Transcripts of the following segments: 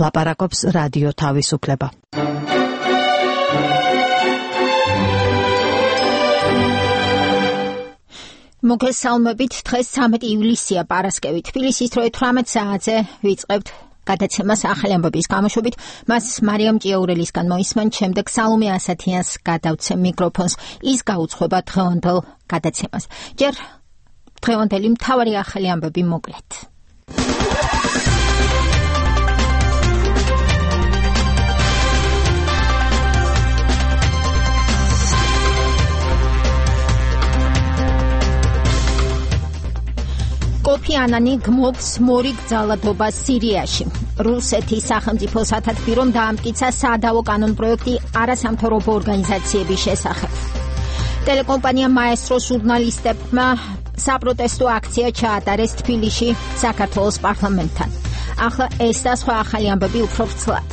ლაპარაკობს რადიო თავისუფლება. მოგესალმებით, დღეს 13 ივლისია, პარასკევი. თბილისის დროით 18 საათზე ვიწყებთ გადაცემას ახალი ამბების გამოშვებით. მას მარიამ ჭიაურელისგან მოისმენ, შემდეგ სალომე ასათიანს გადავცემ მიკროფონს. ის გაუძღვება დღევანდელ გადაცემას. ჯერ დღევანდელი მთავარი ახალი ამბები მოკლედ. კოფი ანანი გმობს მორიგ ძალადობას სირიაში. რუსეთის სახელმწიფო სათათბირომ დაამტკიცა სადავო კანონპროექტი არასამთავრობო ორგანიზაციების შესახებ. ტელეკომპანია მაესტრო ჟურნალისტებმა საპროტესტო აქცია ჩაატარეს თბილისში საქართველოს პარლამენტთან. ახლა ეს და სხვა ახალი ამბები უფრო ვრცლად.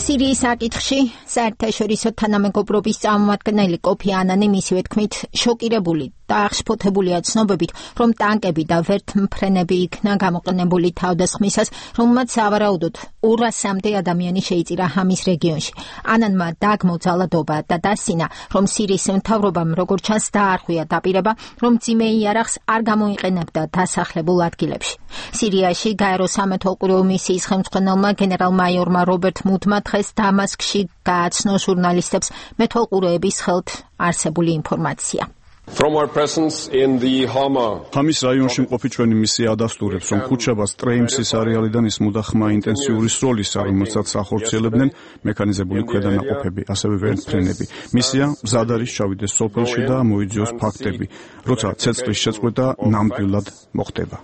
სირიის საკითხში საერთაშორისო თანამეგობრობის წარმომადგენელი კოფი ანანი მისივე თქმით შოკირებული და აღშფოთებულია ცნობებით, რომ ტანკები და ვერთმფრენები იქნა გამოყენებული თავდასხმისას, რომელმაც სავარაუდოდ 200-მდე ადამიანი შეიწირა ჰამის რეგიონში. ანანმა დაგმო ძალადობა და დასცინა, რომ სირიის მთავრობამ როგორც ჩანს დაარღვია დაპირება, რომ მძიმე იარაღს არ გამოიყენებდა დასახლებულ ადგილებში. სირიაში გაერო სამეთვალყურეო მისიის ხელმძღვანელმა გენერალ-მაიორმა რობერტ მუდმა დღეს დამასკში გააცნო ჟურნალისტებს მეთვალყურეების ხელთ არსებული ინფორმაცია. ჰამის რაიონში მყოფი ჩვენი მისია ადასტურებს, რომ ქუჩაბას ტრეიმსის არეალიდან ისმოდა ხმა ინტენსიური სროლისა, რომელსაც ახორციელებდნენ მექანიზებული ქვედანაყოფები, ასევე ვერტმფრენები. მისია მზად არის ჩავიდეს სოფელში და მოიძიოს ფაქტები, როცა ცეცხლის შეწყვეტა ნამდვილად მოხდება.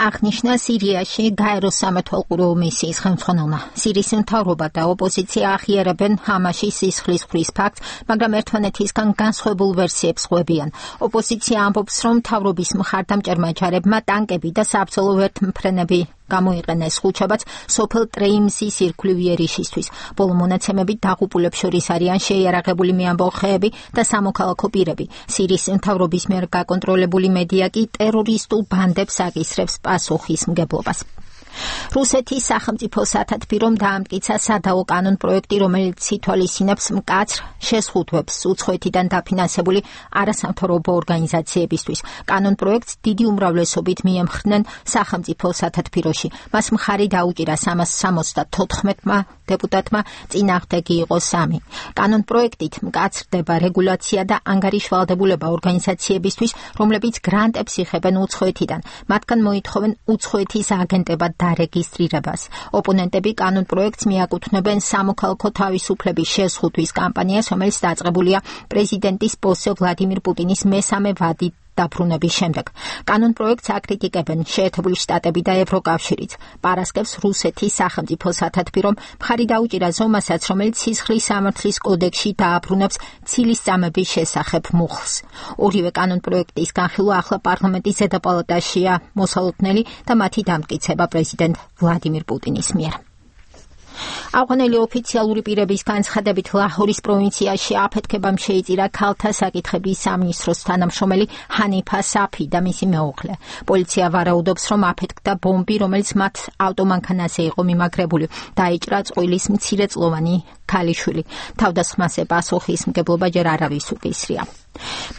აღნიშნა სირიაში გაეროს სამეთვალყურეო მისიის ხელმძღვანელმა. სირიის მთავრობა და ოპოზიცია აღიარებენ ჰამაში სისხლის ხვრის ფაქტს, მაგრამ ერთმანეთისგან განსხვავებულ ვერსიებს ღვევიან. ოპოზიცია ამბობს, რომ მთავრობის მხარდამჭერმა ჯარებმა ტანკები და საბრძოლო ვერთმფრენები გამოიყენეს ხუჩაბაც სოფელ ტრეიმსის ირგვლივ იერიშისთვის. ბოლო მონაცემებით დაღუპულებს შორის არიან შეიარაღებული მეამბოხეები და სამოქალაქო პირები. სირიის მთავრობის მიერ გაკონტროლებული მედია კი ტერორისტულ ბანდებს აკისრებს პასუხისმგებლობას. რუსეთის სახელმწიფო სათათბირომ დაამტკიცა სადავო კანონპროექტი, რომელიც ითვალისწინებს მკაცრ შეზღუდვებს უცხოეთიდან დაფინანსებული არასამთავრობო ორგანიზაციებისთვის. კანონპროექტს დიდი უმრავლესობით მიემხრნენ სახელმწიფო სათათბიროში. მას მხარი დაუჭირა 374-მა დეპუტატმა, წინააღმდეგი იყო 3. კანონპროექტით მკაცრდება რეგულაცია და ანგარიშვალდებულება ორგანიზაციებისთვის, რომლებიც გრანტებს იღებენ უცხოეთიდან. მათგან მოითხოვენ უცხოეთის აგენტებად დარეგისტრირებას. ოპონენტები კანონპროექტს მიაკუთვნებენ სამოქალაქო თავისუფლების შეზღუდვის კამპანიას, რომელიც დაწყებულია პრეზიდენტის ბოსე ვლადიმირ პუტინის მესამე ვადით დაბრუნების შემდეგ. კანონპროექტს აკრიტიკებენ შეერთებული შტატები და ევროკავშირიც. პარასკევს რუსეთის სახელმწიფო სათათბირომ მხარი დაუჭირა ზომასაც, რომელიც სისხლის სამართლის კოდექსში დააბრუნებს ცილისწამების შესახებ მუხლს. ორივე კანონპროექტის განხილვა ახლა პარლამენტის ზედა პალატაშია მოსალოდნელი და მათი დამტკიცება პრეზიდენტ ვლადიმირ პუტინის მიერ. ავღანელი ოფიციალური პირების განცხადებით ლაჰორის პროვინციაში აფეთქებამ შეიწირა ქალთა საკითხების სამინისტროს თანამშრომელი ჰანიფა საფი და მისი მეუღლე. პოლიცია ვარაუდობს, რომ აფეთქდა ბომბი, რომელიც მათ ავტომანქანაზე იყო მიმაგრებული. დაიჭრა წყვილის მცირეწლოვანი ქალიშვილი. თავდასხმაზე პასუხისმგებლობა ჯერ არავის უკისრია.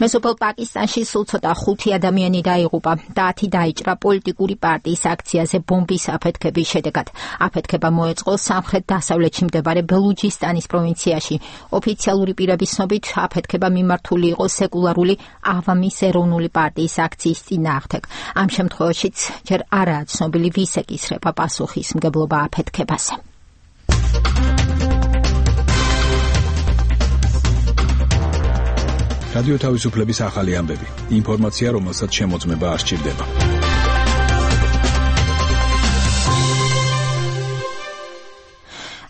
მეზობელ პაკისტანში სულ ცოტა 5 ადამიანი დაიღუპა და 10 დაიჭრა პოლიტიკური პარტიის აქციაზე ბომბის აფეთქების შედეგად. აფეთქება მოეწყო სამხრეთ-დასავლეთში მდებარე ბელუჯისტანის პროვინციაში. ოფიციალური პირების ცნობით აფეთქება მიმართული იყო სეკულარული ავამის ეროვნული პარტიის აქციის წინააღმდეგ. ამ შემთხვევაშიც ჯერ არაა ცნობილი, ვის ეკისრება პასუხისმგებლობა აფეთქებაზე. რადიო თავისუფლების ახალი ამბები. ინფორმაცია, რომელსაც შემოწმება არ სჭირდება.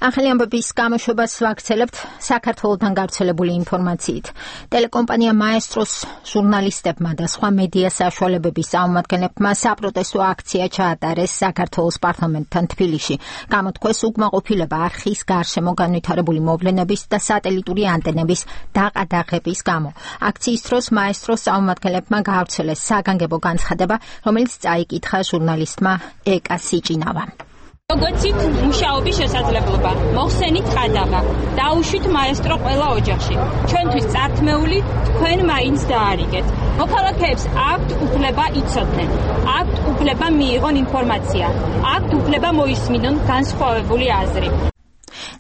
ახალი ამბების გამოშვებას ვაქცელებთ საქართველოსთან გავრცელებული ინფორმაციით. ტელეკომპანია მაესტროს ჟურნალისტებმა და სხვა მედია საშუალებების წარმომადგენლებმა საპროტესტო აქცია ჩაატარეს საქართველოს პარლამენტთან თბილისში. გამოთქვეს უკმაყოფილება არხის გარშემო განვითარებული მოვლენების და სატელიტური ანტენების დაყადაღების გამო. აქციის დროს მაესტროს წარმომადგენლებმა გაავრცელეს საგანგებო განცხადება, რომელიც წაიკითხა ჟურნალისტმა ეკა სიჭინავამ. Როგორც იქ მუშაობის შესაძლებლობა, მოხსენით ყადაღა, დაუშვით მაესტრო ყველა ოჯახში. ჩვენთვის წართმეული თქვენ მაინც დაარიგეთ. მოქალაქეებს აქვთ უფლება იცოდნენ, აქვთ უფლება მიიღონ ინფორმაცია, აქვთ უფლება მოისმინონ განსხვავებული აზრი.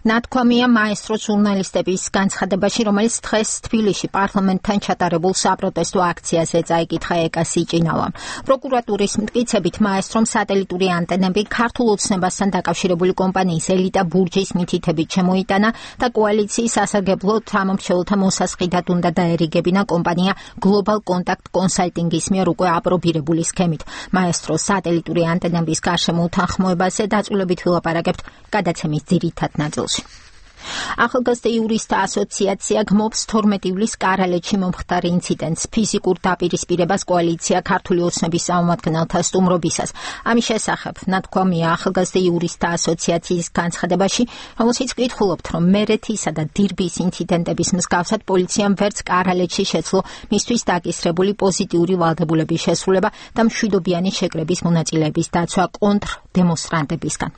ნათქვამია მაესტრო ჟურნალისტების განცხადებაში, რომელიც დღეს თბილისში პარლამენტთან ჩატარებულ საპროტესტო აქციაზე წაიკითხა ეკა სიჭინავამ. პროკურატურის მტკიცებით მაესტრომ სატელიტური ანტენები ქართულ ოცნებასთან დაკავშირებული კომპანიის ელიტა ბურჯის მითითებით შემოიტანა და კოალიციის სასარგებლო თანამშრომელთა მოსასყიდად უნდა დაერიგებინა კომპანია Global Contact Consulting-ის მიერ უკვე აპრობირებული სქემით. მაესტრო სატელიტური ანტენების გარშემო უთანხმოებაზე დაწვრილებით ვილაპარაკებთ გადაცემის ძირითად ნაწილში. ახალგაზრდა იურისტთა ასოციაცია გმობს 12 ივლისს კარალეთში მომხდარ ინციდენტს, ფიზიკურ დაპირისპირებას კოალიცია ქართული ოცნების წარმომადგენელთა სტუმრობისას. ამის შესახებ ნათქვამია ახალგაზრდა იურისტთა ასოციაციის განცხადებაში, რომელშიც კითხულობთ, რომ მერეთისა და დირბის ინციდენტების მსგავსად პოლიციამ ვერც კარალეთში შეძლო მისთვის დაკისრებული პოზიტიური ვალდებულების შესრულება და მშვიდობიანი შეკრების მონაწილეების დაცვა კონტრ დემონსტრანტებისგან.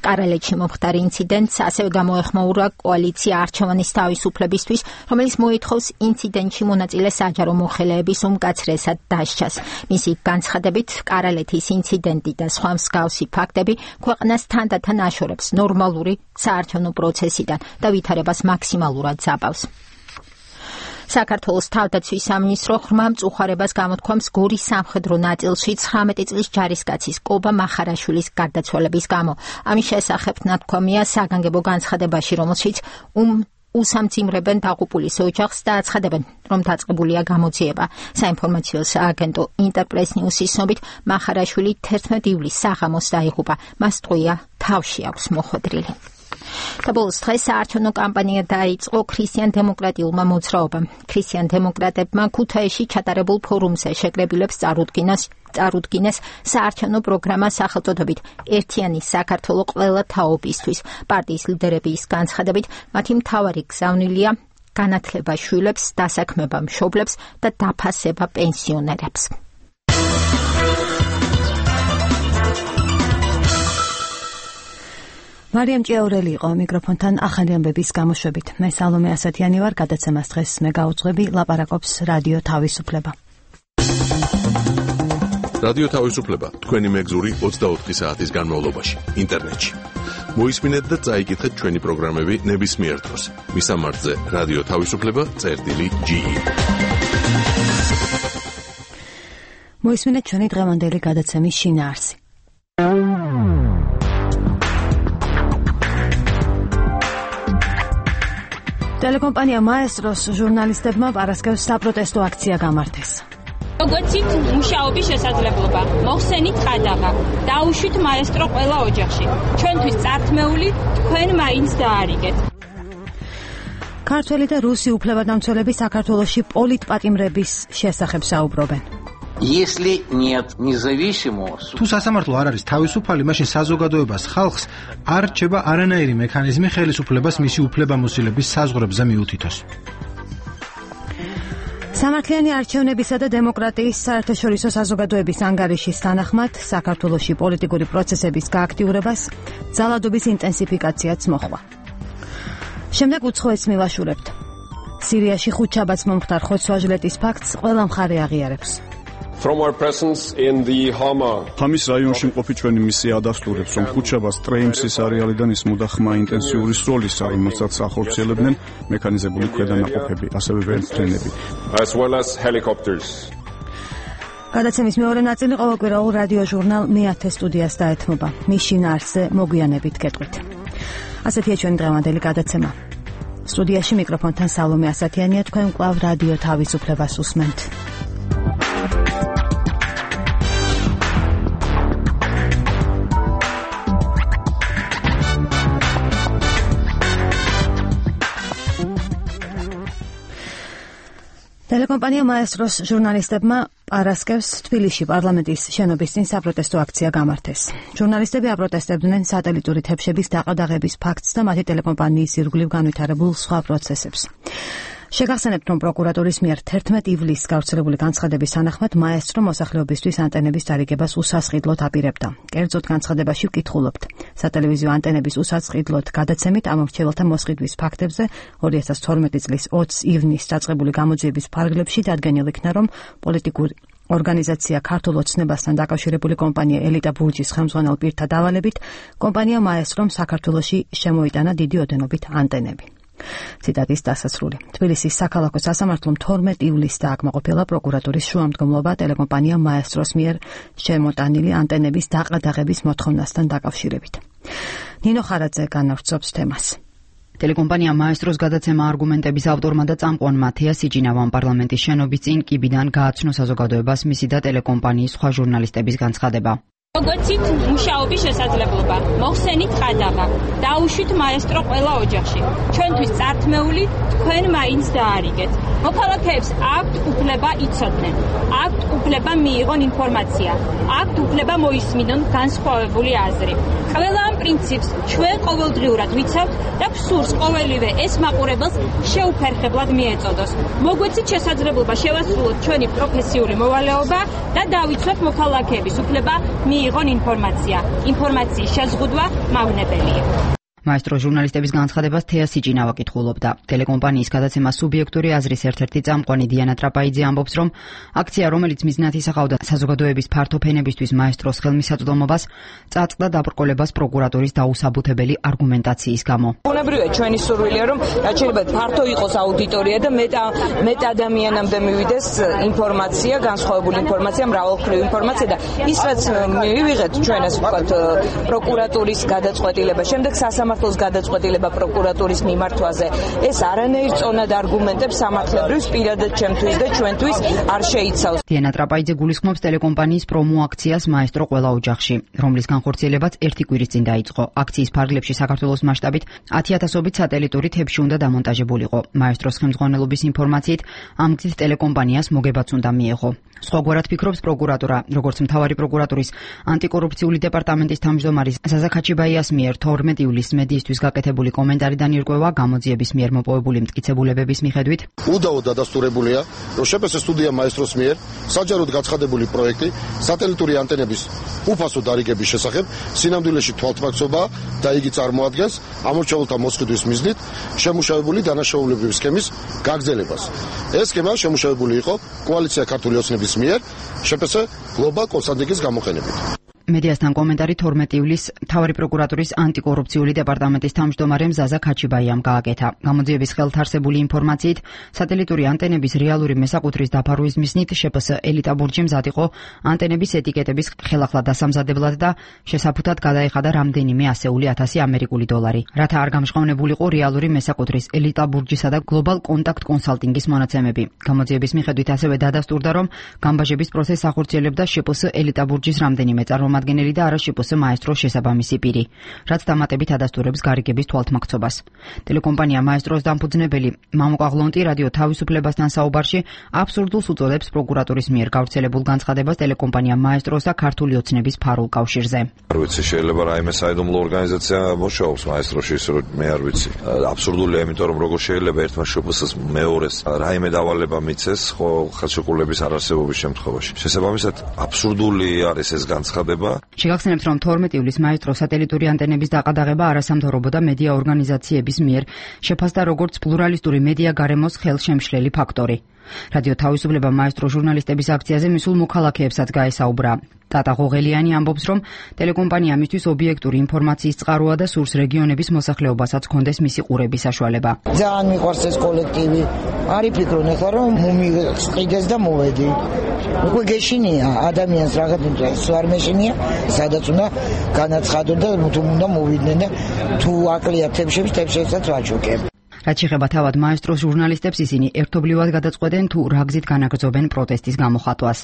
კარალეთში მომხდარ ინციდენტს ასევე გამოეხმაურა კოალიცია არჩევანის თავისუფლებისთვის, რომელიც მოითხოვს ინციდენტში მონაწილე საჯარო მოხელეების უმკაცრესად დასჯას. მისი განცხადებით, კარალეთის ინციდენტი და სხვა მსგავსი ფაქტები ქვეყანას თანდათან აშორებს ნორმალური საარჩევნო პროცესიდან და ვითარებას მაქსიმალურად ზაბავს. საქართველოს თავდაცვის სამინისტრო ღრმა მწუხარებას გამოთქვამს გორის სამხედრო ნაწილში 19 წლის ჯარისკაცის კობა მახარაშვილის გარდაცვალების გამო. ამის შესახებ ნათქვამია საგანგებო განცხადებაში, რომელშიც უსამძიმრებენ დაღუპულის ოჯახს და აცხადებენ, რომ დაწყებულია გამოძიება. საინფორმაციო სააგენტო ინტერპრეს ნიუსის ცნობით, მახარაშვილი 11 ივლისს საღამოს დაიღუპა. მას ტყვია თავში აქვს მოხვედრილი. და ბოლოს დღეს საარჩევნო კამპანია დაიწყო ქრისტიან-დემოკრატიულმა მოძრაობამ. ქრისტიან-დემოკრატებმა ქუთაისში ჩატარებულ ფორუმზე შეკრებილებს წარუდგინეს საარჩევნო პროგრამა სახელწოდებით „ერთიანი საქართველო ყველა თაობისთვის“. პარტიის ლიდერების განცხადებით, მათი მთავარი გზავნილია განათლება შვილებს, დასაქმება მშობლებს და დაფასება პენსიონერებს. მარიამ ჭიაურელი იყო მიკროფონთან ახალი ამბების გამოშვებით. მე სალომე ასათიანი ვარ, გადაცემას დღეს მე გაუძღვები, ლაპარაკობს რადიო თავისუფლება. რადიო თავისუფლება, თქვენი მეგზური 24 საათის განმავლობაში, ინტერნეტში. მოისმინეთ და წაიკითხეთ ჩვენი პროგრამები ნებისმიერ დროს. მისამართზე რადიო თავისუფლება.ge. მოისმინეთ ჩვენი დღევანდელი გადაცემის შინაარსი. ტელეკომპანია მაესტროს ჟურნალისტებმა პარასკევს საპროტესტო აქცია გამართეს. როგორც იქ მუშაობის შესაძლებლობა, მოხსენით ყადაღა, დაუშვით მაესტრო ყველა ოჯახში. ჩვენთვის წართმეული თქვენ მაინც დაარიგეთ. ქართველი და რუსი უფლებადამცველები საქართველოში პოლიტპატიმრების შესახებ საუბრობენ. Если нет независимого თუ სასამართლო არ არის თავისუფალი, მაშინ საზოგადოებას ხალხს არ რჩება არანაირი მექანიზმი ხელისუფლებას მისი უფლებამოსილების საზღვრებზე მიუთითოს. სამართლიანი არჩევნებისა და დემოკრატიის საერთაშორისო საზოგადოების ანგარიშის თანახმად საქართველოში პოლიტიკური პროცესების გააქტიურებას ძალადობის ინტენსიფიკაციაც მოჰყვა. შემდეგ უცხოეთს მივაშურებთ. სირიაში ხუთშაბათს მომხდარ ხოცვა-ჟლეტის ფაქტს ყველა მხარე აღიარებს. From our presence in the Hama. ხამის რაიონში მყოფი ჩვენი მისია ადასტურებს, რომ ხუთშაბათს ტრეიმსის არეალიდან ისმოდა ხმა ინტენსიური სროლისა, რომელსაც ახორციელებდნენ მექანიზებული ქვედანაყოფები, ასევე ვერტმფრენები. As well as helicopters. გადაცემის მეორე ნაწილი ყოველკვირეულ რადიო ჟურნალ მეათე სტუდიას დაეთმობა. მის შინაარსზე მოგვიანებით გეტყვით. ასეთია ჩვენი დღევანდელი გადაცემა. სტუდიაში მიკროფონთან სალომე ასათიანია, თქვენ კვლავ რადიო თავისუფლებას უსმენთ. ტელეკომპანია მაესტროს ჟურნალისტებმა პარასკევს თბილისში პარლამენტის შენობის წინ საპროტესტო აქცია გამართეს. ჟურნალისტები აპროტესტებდნენ სატელიტური თებშების დაყადაღების ფაქტს და მათი ტელეკომპანიის ირგვლივ განვითარებულ სხვა პროცესებს. შეგახსენებთ, რომ პროკურატურის მიერ 11 ივლისს გავრცელებული განცხადების თანახმად მაესტრო მოსახლეობისთვის ანტენების დარიგებას უსასყიდლოდ აპირებდა. კერძოდ განცხადებაში ვკითხულობთ. სატელევიზიო ანტენების უსასყიდლოდ გადაცემით ამორჩეველთა მოსყიდვის ფაქტებზე 2012 წლის 20 ივნისს დაწყებული გამოძიების ფარგლებში დადგენილ იქნა, რომ პოლიტიკური ორგანიზაცია ქართულ ოცნებასთან დაკავშირებული კომპანია ელიტა ბურჯის ხელმძღვანელ პირთა დავალებით კომპანია მაესტრომ საქართველოში შემოიტანა დიდი ოდენობით ანტენები. ციტატის დასასრული. თბილისის საქალაქო სასამართლომ 12 ივლისს დააკმაყოფილა პროკურატურის შუამდგომლობა ტელეკომპანია მაესტროს მიერ შემოტანილი ანტენების დაყადაღების მოთხოვნასთან დაკავშირებით. ნინო ხარაძე განავრცობს თემას. ტელეკომპანია მაესტროს გადაცემა არგუმენტების ავტორმა და წამყვანმა თეა სიჯინავამ პარლამენტის შენობის წინ კიბიდან გააცნო საზოგადოებას მისი და ტელეკომპანიის სხვა ჟურნალისტების განცხადება. Მოგვეცით მუშაობის შესაძლებლობა, მოხსენით ყადაღა, დაუშვით მაესტრო ყველა ოჯახში. ჩვენთვის წართმეული თქვენ მაინც დაარიგეთ. მოქალაქეებს აქვთ უფლება იცოდნენ, აქვთ უფლება მიიღონ ინფორმაცია, აქვთ უფლება მოისმინონ განსხვავებული აზრი. ყველა ამ პრინციპს ჩვენ ყოველდღიურად ვიცავთ და გვსურს ყოველივე ეს მაყურებელს შეუფერხებლად მიეწოდოს. მოგვეცით შესაძლებლობა შევასრულოთ ჩვენი პროფესიული მოვალეობა და დავიცვათ მოქალაქეების უფლება მიიღონ ინფორმაცია. ინფორმაციის შეზღუდვა მავნებელია. მაესტრო ჟურნალისტების განცხადებას თეა სიჯინავა კითხულობდა. ტელეკომპანიის გადაცემა სუბიექტური აზრის ერთ-ერთი წამყვანი დიანა ტრაპაიძე ამბობს, რომ აქცია, რომელიც მიზნად ისახავდა საზოგადოების ფართო ფენებისთვის მაესტროს ხელმისაწვდომობას, წაწყდა დაბრკოლებას პროკურატურის დაუსაბუთებელი არგუმენტაციის გამო. ბუნებრივია ჩვენი სურვილია, რომ შეიძლება ფართო იყოს აუდიტორია და მეტ ადამიანამდე მივიდეს ინფორმაცია, განსხვავებული ინფორმაცია, მრავალმხრივი ინფორმაცია და ის რაც მივიღეთ ჩვენ ასე ვთქვათ პროკურატურის გადაწყვეტილება, შემდეგ სამართლოს გადაწყვეტილება პროკურატურის მიმართვაზე, ეს არანაირ წონად არგუმენტებს სამართლებრივს პირადად ჩემთვის და ჩვენთვის არ შეიცავს. დიანა ტრაპაიძე გულისხმობს ტელეკომპანიის პრომო აქციას მაესტრო ყველა ოჯახში, რომლის განხორციელებაც ერთი კვირის წინ დაიწყო. აქციის ფარგლებში საქართველოს მასშტაბით 10,000-ობით სატელიტური თებში უნდა დამონტაჟებულიყო. მაესტროს ხელმძღვანელობის ინფორმაციით, ამ გზით ტელეკომპანიას მოგებაც უნდა მიეღო. სხვაგვარად ფიქრობს პროკურატურა, როგორც მთავარი პროკურატურის ანტიკორუფციული დეპარტამენტის თავმჯდომარე ზაზა ქაჩიბაიას მიერ 12 ივლისს მედიისთვის გაკეთებული კომენტარიდან ირკვევა გამოძიების მიერ მოპოვებული მტკიცებულებების მიხედვით. უდაოდ დადასტურებულია, რომ შეფასე სტუდია მაესტროს მიერ საჯაროდ გაცხადებული პროექტი სატელიტური ანტენების უფასო დარიგების შესახებ სინამდვილეში თვალთმაქცობა და იგი წარმოადგენს ამორჩეულთა მოსყიდვის მიზნით შემუშავებული დანაშაულებრივი სქემის გაგრძელებას. ეს სქემა შემუშავებული იყო კოალიცია ქართული ოცნების მიერ შეფასე გლობალ კონსალტინგის გამოყენებით. მედიასთან კომენტარი 12 ივლისს მთავარი პროკურატურის ანტიკორუფციული დეპარტამენტის თავმჯდომარემ ზაზა ქაჩიბაიამ გააკეთა. გამოძიების ხელთარსებული ინფორმაციით, სატელიტური ანტენების რეალური მესაკუთრის დაფარვის მიზნით შეფს ელიტა ბურჯი მზად იყო ანტენების ეტიკეტების ხელახლა დასამზადებლად და შესაფუთად გადაეხადა რამდენიმე ასეული 1000 ამერიკული დოლარი. რათა არ გამჟღავნებულიყო რეალური მესაკუთრის ელიტა ბურჯისა და გლობალ კონტაქტ კონსალტინგის მონაცემები. გამოძიების მიხედვით ასევე დადასტურდა, რომ გამბაჟების პროცესს ახორციელებდა შეფს ელიტა ბურჯის რამდენიმე წარმომადგენელი და არა შეფს მაესტროს შესაბამისი პირი, რაც დამატებით ადასტურებს გარიგების თვალთმაქცობას. ტელეკომპანია მაესტროს დამფუძნებელი მამუკა ღლონტი რადიო თავისუფლებასთან საუბარში აბსურდულს უწოდებს პროკურატურის მიერ გავრცელებულ განცხადებას ტელეკომპანია მაესტროს და ქართული ოცნების ფარულ კავშირზე. არ ვიცი, შეიძლება რაიმე საიდუმლო ორგანიზაცია მოშაობს მაესტროში, ისე რომ მე არ ვიცი. აბსურდულია, იმიტომ რომ როგორ შეიძლება ერთმა შეფსს მეორეს რაიმე დავალება მიცეს, ხო ხელშეკრულების არარსებობის შემთხვევაში. შესაბამისად, აბსურდული არის ეს განცხადება. შეგახსენებთ, რომ 12 ივლისს მაესტროს სატელიტური ანტენების დაყადაღება არასამთავრობო და მედია ორგანიზაციების მიერ შეფასდა როგორც პლურალისტური მედია გარემოს ხელშემშლელი ფაქტორი. რადიო თავისუფლება მაესტრო ჟურნალისტების აქციაზე მისულ მოქალაქეებსაც გაესაუბრა. ტატა ღოღელიანი ამბობს, რომ ტელეკომპანია მისთვის ობიექტური ინფორმაციის წყაროა და სურს რეგიონების მოსახლეობასაც ჰქონდეს მისი ყურების საშუალება. ძალიან მიყვარს ეს კოლექტივი. არი ფიქრობ ახლა რომ მომიყიდეს და მოვედი. უკვე გეშინია ადამიანს რაღაც არ მეშინია, სადაც უნდა განაცხადო და თუ უნდა მოვიდნენ და თუ აკლია თებშებსაც ვაჩუქებ. რაც შეეხება თავად მაესტროს ჟურნალისტებს, ისინი ერთობლივად გადაწყვეტენ თუ რა გზით განაგრძობენ პროტესტის გამოხატვას.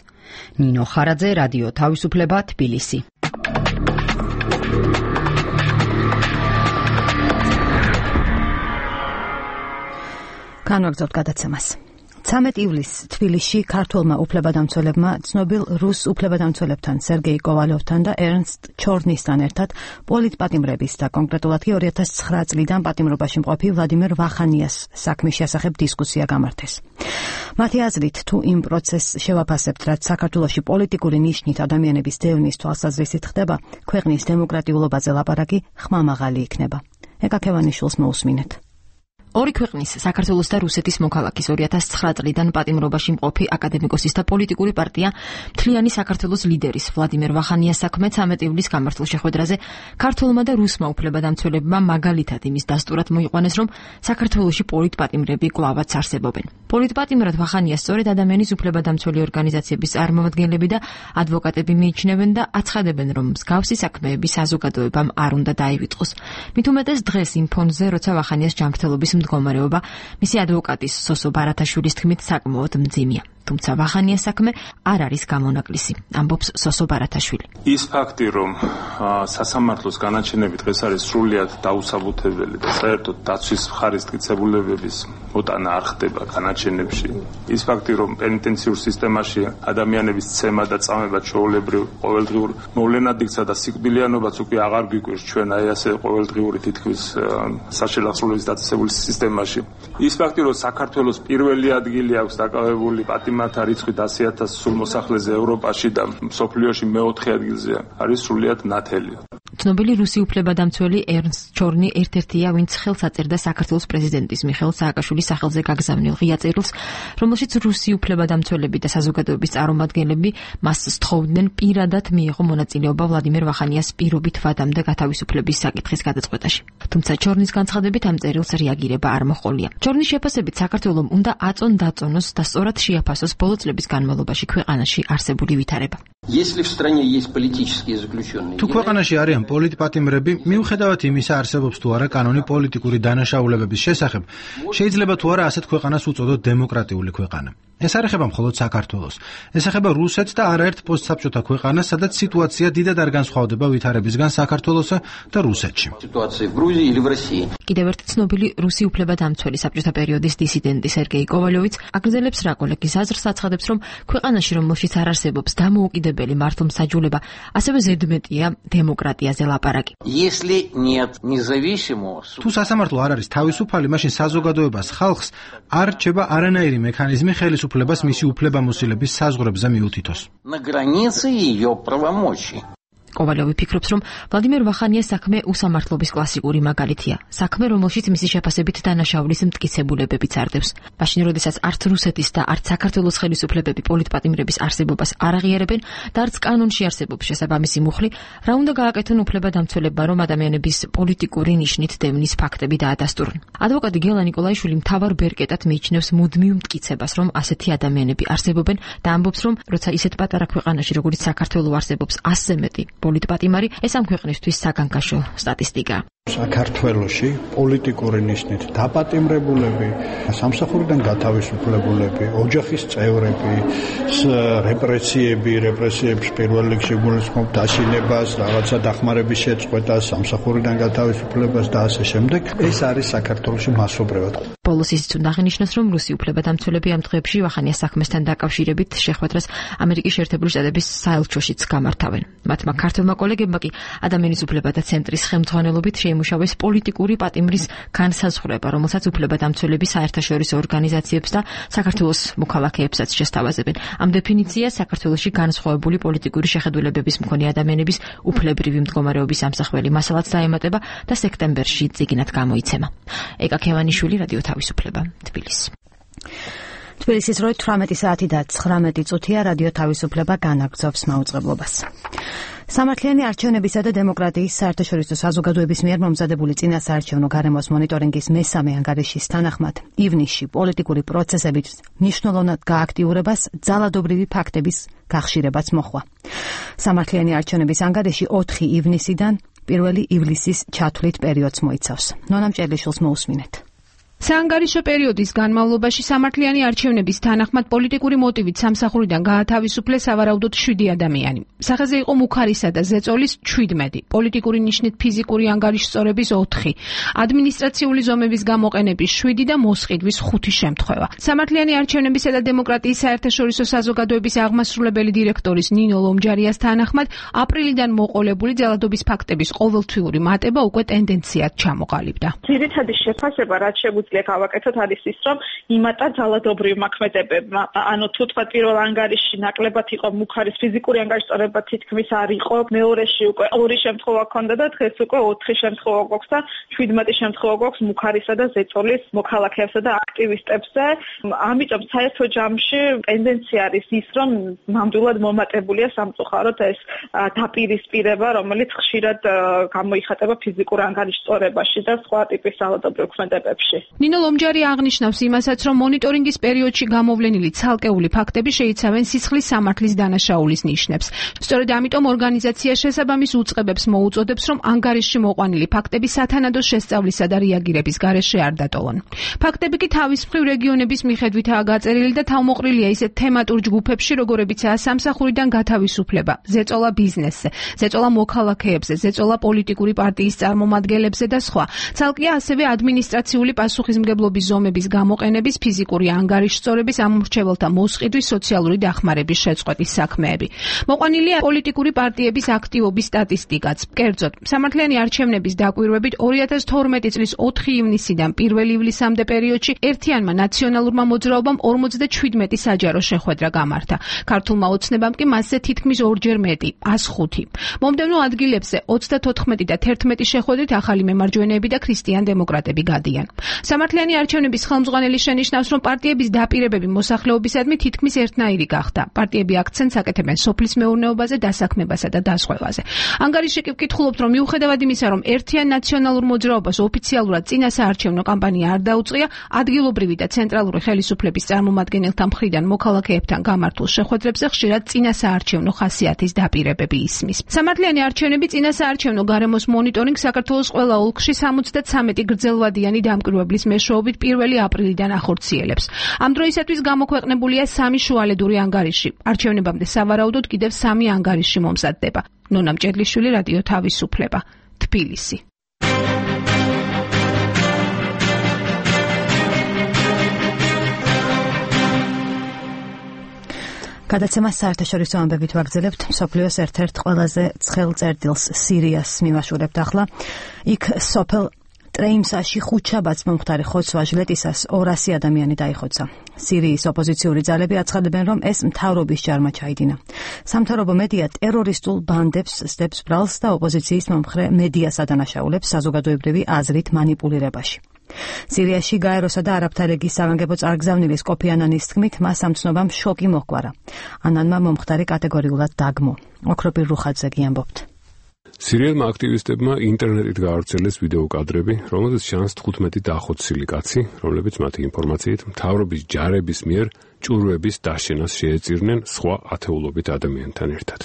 ნინო ხარაძე, რადიო თავისუფლება, თბილისი. განვაგრძობთ გადაცემას. 13 ივლისს თბილისში ქართველმა უფლებადამცველებმა ცნობილ რუს უფლებადამცველებთან სერგეი კოვალოვთან და ერნსტ ჩორნისთან ერთად პოლიტპატიმრების და კონკრეტულად 2009 წლიდან პატიმრობაში მყოფი ვლადიმერ ვახანიას საქმის შესახებ დისკუსია გამართეს. მათი აზრით, თუ იმ პროცესს შევაფასებთ, რაც საქართველოში პოლიტიკური ნიშნით ადამიანების დევნის თვალსაზრისით ხდება, ქვეყნის დემოკრატიულობაზე ლაპარაკი ხმამაღალი იქნება. ეკაკევანიშვილს მოусმინეთ. ორი ქვეყნის საქართველოს და რუსეთის მოქალაქის 2009 წლიდან პატიმრობაში მყოფი აკადემიკოსის და პოლიტიკური პარტია მთლიანი საქართველოს ლიდერის ვლადიმერ ვახანიას საქმე 13 ივლისს გამართულ შეხვედრაზე ქართველმა და რუსმა უფლებადამცველებმა მაგალითად იმის დასტურად მოიყვანეს, რომ საქართველოში პოლიტპატიმრები კვლავაც არსებობენ. პოლიტპატიმრად ვახანიას სწორედ ადამიანის უფლებადამცველი ორგანიზაციების წარმომადგენლები და ადვოკატები მიიჩნევენ და აცხადებენ, რომ მსგავსი საქმეები საზოგადოებამ არ უნდა დაივიწყოს. მით უმეტეს დღეს იმ ფონზე, როცა ვახანიას ჯანმრთელობის მდგომარეობა მისი ადვოკატის სოსო ბარათაშვილის თქმით საკმაოდ მძიმეა. თუმცა ვახანიას საქმე არ არის გამონაკლისი, ამბობს სოსო ბარათაშვილი. ის ფაქტი, რომ სასამართლოს განაჩენები დღეს არის სრულიად დაუსაბუთებელი და საერთოდ დაცვის მხარის მტკიცებულებების მოტანა არ ხდება განაჩენებში. ის ფაქტი, რომ პენიტენციურ სისტემაში ადამიანების ცემა და წამება ჩვეულებრივ ყოველდღიურ მოვლენად იქცა და სიკვდილიანობაც უკვე აღარ გვიკვირს ჩვენ აი ასე ყოველდღიური თითქმის საშელახსრულების დაწესებულის სისტემაში. ის ფაქტი, რომ საქართველოს პირველი ადგილი აქვს დაკავებული პატიმართა რიცხვით 100,000 სულ მოსახლეზე ევროპაში და მსოფლიოში მეოთხე ადგილზე არის სრულიად ნათელი. ცნობილი რუსი უფლებადამცველი ერნსტ ჩორნი ერთ-ერთია, ვინც ხელს აწერდა საქართველოს პრეზიდენტის მიხეილ სააკაშვილის სახელზე გაგზავნილ ღია წერილს, რომელშიც რუსი უფლებადამცველები და საზოგადოების წარმომადგენლები მას სთხოვდნენ პირადად მიიღო მონაწილეობა ვლადიმერ ვახანიას პირობით ვადამდე გათავისუფლების საკითხის გადაწყვეტაში. თუმცა ჩორნის განცხადებით ამ წერილს რეაგირება არ მოჰყოლია. ჩორნის შეფასებით საქართველომ უნდა აწონ-დაწონოს და სწორად შეაფასოს ბოლო წლების განმავლობაში ქვეყანაში არსებული ვითარება. თუ ქვეყანაში არიან პოლიტპატიმრები, მიუხედავად იმისა, არსებობს თუ არა კანონი პოლიტიკური დანაშაულებების შესახებ, შეიძლება თუ არა ასეთ ქვეყანას უწოდოთ დემოკრატიული ქვეყანა. ეს არ ეხება მხოლოდ საქართველოს. ეს ეხება რუსეთს და არაერთ პოსტსაბჭოთა ქვეყანას, სადაც სიტუაცია დიდად არ განსხვავდება ვითარებისგან საქართველოსა და რუსეთში. კიდევ ერთი ცნობილი რუსი უფლებადამცველი საბჭოთა პერიოდის დისიდენტი სერგეი კოვალოვიც აგრძელებს რა კოლეგის აზრს, აცხადებს, რომ ქვეყანაში, რომელშიც არ არსებობს დამოუკიდებელი მართლმსაჯულება, ასევე ზედმეტია დემოკრატიაზე ლაპარაკი. თუ სასამართლო არ არის თავისუფალი, მაშინ საზოგადოებას ხალხს არ რჩება არანაირი მექანიზმი ხელისუფლებას მისი უფლებამოსილების საზღვრებზე მიუთითოს. კოვალოვი ფიქრობს, რომ ვლადიმერ ვახანიას საქმე უსამართლობის კლასიკური მაგალითია. საქმე, რომელშიც მისი შეფასებით დანაშაულის მტკიცებულებებიც არდევს. მაშინ, როდესაც არც რუსეთის და არც საქართველოს ხელისუფლებები პოლიტპატიმრების არსებობას არ აღიარებენ და არც კანონში არსებობს შესაბამისი მუხლი, რა უნდა გააკეთონ უფლებადამცველებმა, რომ ადამიანების პოლიტიკური ნიშნით დევნის ფაქტები დაადასტურონ. ადვოკატი გელა ნიკოლაიშვილი მთავარ ბერკეტად მიიჩნევს მუდმივ მტკიცებას, რომ ასეთი ადამიანები არსებობენ და ამბობს, რომ როცა ისეთ პატარა ქვეყანაში, როგორც საქართველო არსებობს 100-ზე მეტი პოლიტპატიმარი, ეს ამ ქვეყნისთვის საგანგაშო სტატისტიკაა. საქართველოში პოლიტიკური ნიშნით დაპატიმრებულები, სამსახურიდან გათავისუფლებულები, ოჯახის წევრები, რეპრესიების პირველ რიგში გულისხმობ დაშინებას, რაღაცა დახმარების შეწყვეტას, სამსახურიდან გათავისუფლებას და ასე შემდეგ. ეს არის საქართველოში მასობრივად. ბოლოს ისიც უნდა აღინიშნოს, რომ რუსი უფლებადამცველები ამ დღეებში ვახანიას საქმესთან დაკავშირებით შეხვედრას ამერიკის შეერთებული შტატების საელჩოშიც გამართავენ. მათმა ქართველმა კოლეგებმა კი ადამიანის უფლებათა ცენტრის ხელმძღვანელობით შეიმუშავეს პოლიტიკური პატიმრის განსაზღვრება, რომელსაც უფლებადამცველები საერთაშორისო ორგანიზაციებს და საქართველოს მოქალაქეებსაც შესთავაზებენ. ამ დეფინიციას საქართველოში განსხვავებული პოლიტიკური შეხედულებების მქონე ადამიანების უფლებრივი მდგომარეობის ამსახველი მასალაც დაემატება და სექტემბერში წიგნად გამოიცემა. ეკა ქევანიშვილი, რადიო თავისუფლება, თბილისი. თბილისის 18 საათი და 19 წუთია, რადიო თავისუფლება განაგრძობს მაუწყებლობას. სამართლიანი არჩევნებისა და დემოკრატიის საერთაშორისო საზოგადოების მიერ მომზადებული წინასაარჩევნო გარემოს მონიტორინგის მესამე ანგარიშის თანახმად, ივნისში პოლიტიკური პროცესებით მნიშვნელოვნად გააქტიურებას ძალადობრივი ფაქტების გახშირებაც მოჰყვა. სამართლიანი არჩევნების ანგარიში 4 ივნისიდან 1 ივლისის ჩათვლით პერიოდს მოიცავს. ნონა მჭერლიშვილს მოусმინეთ. საანგარიშო პერიოდის განმავლობაში სამართლიანი არჩევნების თანახმად პოლიტიკური მოტივით სამსახურიდან გაათავისუფლეს სავარაუდოდ 7 ადამიანი. სახეზე იყო მუქარისა და ზეწოლის 17, პოლიტიკური ნიშნით ფიზიკური ანგარიშსწორების 4, ადმინისტრაციული ზომების გამოყენების 7 და მოსყიდვის 5 შემთხვევა. სამართლიანი არჩევნებისა და დემოკრატიის საერთაშორისო საზოგადოების აღმასრულებელი დირექტორის ნინო ლომჯარიას თანახმად აპრილიდან მოყოლებული ძალადობის ფაქტების ყოველთვიური მატება უკვე ტენდენციად ჩამოყალიბდა. ძირითადი შეფასება რაც შეგვიძლია გავაკეთოთ არის ის, რომ იმატა ძალადობრივ მოქმედებებმა. ანუ თუ თქვა პირველ ანგარიშში ნაკლებად იყო მუქარის ფიზიკური ანგარიშსწორება თითქმის არ იყო, მეორეში უკვე 2 შემთხვევა ჰქონდა და დღეს უკვე 4 შემთხვევა გვაქვს და 17 შემთხვევა გვაქვს მუქარისა და ზეწოლის მოქალაქეებსა და აქტივისტებზე. ამიტომ საერთო ჯამში ტენდენცია არის ის, რომ ნამდვილად მომატებულია სამწუხაროდ ეს დაპირისპირება, რომელიც ხშირად გამოიხატება ფიზიკურ ანგარიშსწორებაში და სხვა ტიპის ძალადობრივ ქმედებებში. ნინო ლომჯარი აღნიშნავს იმასაც, რომ მონიტორინგის პერიოდში გამოვლენილი ცალკეული ფაქტები შეიცავენ სისხლის სამართლის დანაშაულის ნიშნებს. სწორედ ამიტომ ორგანიზაცია შესაბამის უწყებებს მოუწოდებს, რომ ანგარიშში მოყვანილი ფაქტები სათანადო შესწავლისა და რეაგირების გარეშე არ დატოვონ. ფაქტები კი თავის მხრივ რეგიონების მიხედვითაა გაწერილი და თავმოყრილია ისეთ თემატურ ჯგუფებში, როგორებიცაა სამსახურიდან გათავისუფლება, ზეწოლა ბიზნესზე, ზეწოლა მოქალაქეებზე, ზეწოლა პოლიტიკური პარტიის წარმომადგენლებზე და სხვა. ცალკეა ასევე ადმინისტრაციული პასუხისმგებლობის ზომების გამოყენების, ფიზიკური ანგარიშსწორების, ამორჩეველთა მოსყიდვის, სოციალური დახმარების შეწყვეტის საქმეები. მოყვანილია პოლიტიკური პარტიების აქტივობის სტატისტიკაც. კერძოდ, სამართლიანი არჩევნების დაკვირვებით 2012 წლის 4 ივნისიდან 1 ივლისამდე პერიოდში ერთიანმა ნაციონალურმა მოძრაობამ 47 საჯარო შეხვედრა გამართა. ქართულმა ოცნებამ კი მასზე თითქმის 2-ჯერ მეტი, 105. მომდევნო ადგილებზე 34 და 11 შეხვედრით ახალი მემარჯვენეები და ქრისტიან დემოკრატები გადიან. სამართლიანი არჩევნების ხელმძღვანელი შენიშნავს, რომ პარტიების დაპირებები მოსახლეობისადმი თითქმის ერთნაირი გახდა. პარტიები აქცენტს აკეთებენ სოფლის მეურნეობაზე, დასაქმებასა და დასხმევაზე. ანგარიში კი ვკითხულობთ, რომ მიუხედავად იმისა, რომ ერთიან ნაციონალურ მოძრაობას ოფიციალურად წინასაარჩევნო კამპანია არ დაუწყია, ადგილობრივი და ცენტრალური ხელისუფლების წარმომადგენელთა მხრიდან მოქალაქეებთან გამართულ შეხვედრებზე ხშირად წინასაარჩევნო ხასიათის დაპირებები ისმის. სამართლიანი არჩევნები წინასაარჩევნო გარემოს მონიტორინგ საქართველოს ყველა ოლქში 73 გრძელვადიანი დამკვირვებლის მეშვეობით 1 აპრილიდან ახორციელებს. ამ დროისათვის გამოქვეყნებულია 3 შუალედური ანგარიში. არჩევნებამდე სავარაუდოდ კიდევ 3 ანგარიში მომზადდება. ნონა მჭედლიშვილი, რადიო თავისუფლება, თბილისი. გადაცემას საერთაშორისო ამბებით ვაგრძელებთ. მსოფლიოს ერთ-ერთ ყველაზე ცხელ წერტილს სირიას მივაშურებთ ახლა. იქ სოფელ ტრეიმსაში ხუთშაბათს მომხდარი ხოცვა ჟლეტისას 200 ადამიანი დაიხოცა. სირიის ოპოზიციური ძალები აცხადებენ, რომ ეს მთავრობის ჯარმა ჩაიდინა. სამთავრობო მედია ტერორისტულ ბანდებს სდებს ბრალს და ოპოზიციის მომხრე მედიას ადანაშაულებს საზოგადოებრივი აზრით მანიპულირებაში. სირიაში გაეროსა და არაბთა ლიგის სამაგებო წარგზავნილის კოფი ანანის თქმით, მას ამ ცნობამ შოკი მოჰგვარა. ანანმა მომხდარი კატეგორიულად დაგმო. ოქროპირ რუხაძე გიამბობთ. სირიელმა აქტივისტებმა ინტერნეტით გაავრცელეს ვიდეო კადრები, რომელზეც ჩანს 15 დაახოცილი კაცი, რომლებიც მათი ინფორმაციით მთავრობის ჯარების მიერ ჭურვების დაშენას შეეწირნენ სხვა ათეულობით ადამიანთან ერთად.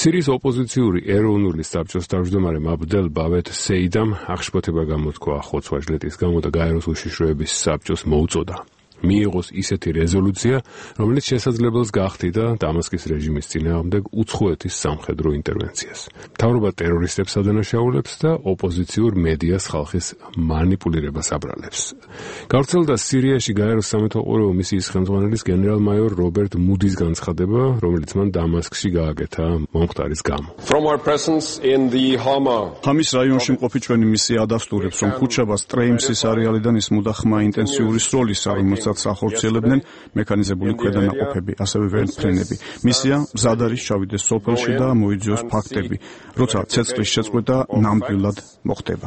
სირიის ოპოზიციური ეროვნული საბჭოს თავმჯდომარე აბდელ ბავეთ სეიდამ აღშფოთება გამოთქვა ხოცვა ჟლეტის გამო და გაეროს უშიშროების საბჭოს მოუწოდა მიიღოს ისეთი რეზოლუცია, რომელიც შესაძლებელს გახდიდა დამასკის რეჟიმის წინააღმდეგ უცხოეთის სამხედრო ინტერვენციას. მთავრობა ტერორისტებს ადანაშაულებს და ოპოზიციურ მედიას ხალხის მანიპულირებას აბრალებს. გავრცელდა სირიაში გაეროს სამეთვალყურეო მისიის ხელმძღვანელის გენერალ-მაიორ რობერტ მუდის განცხადება, რომელიც მან დამასკში გააკეთა მომხდარის გამო. ჰამის რაიონში მყოფი ჩვენი მისია ადასტურებს, რომ ხუთშაბათს ტრეიმსის არეალიდან ისმოდა ხმა ინტენსიური სროლისა, რომელსაც ახორციელებდნენ მექანიზებული ქვედანაყოფები, ასევე ვერტმფრენები. მისია მზად არის ჩავიდეს სოფელში და მოიძიოს ფაქტები, როცა ცეცხლის შეწყვეტა ნამდვილად მოხდება.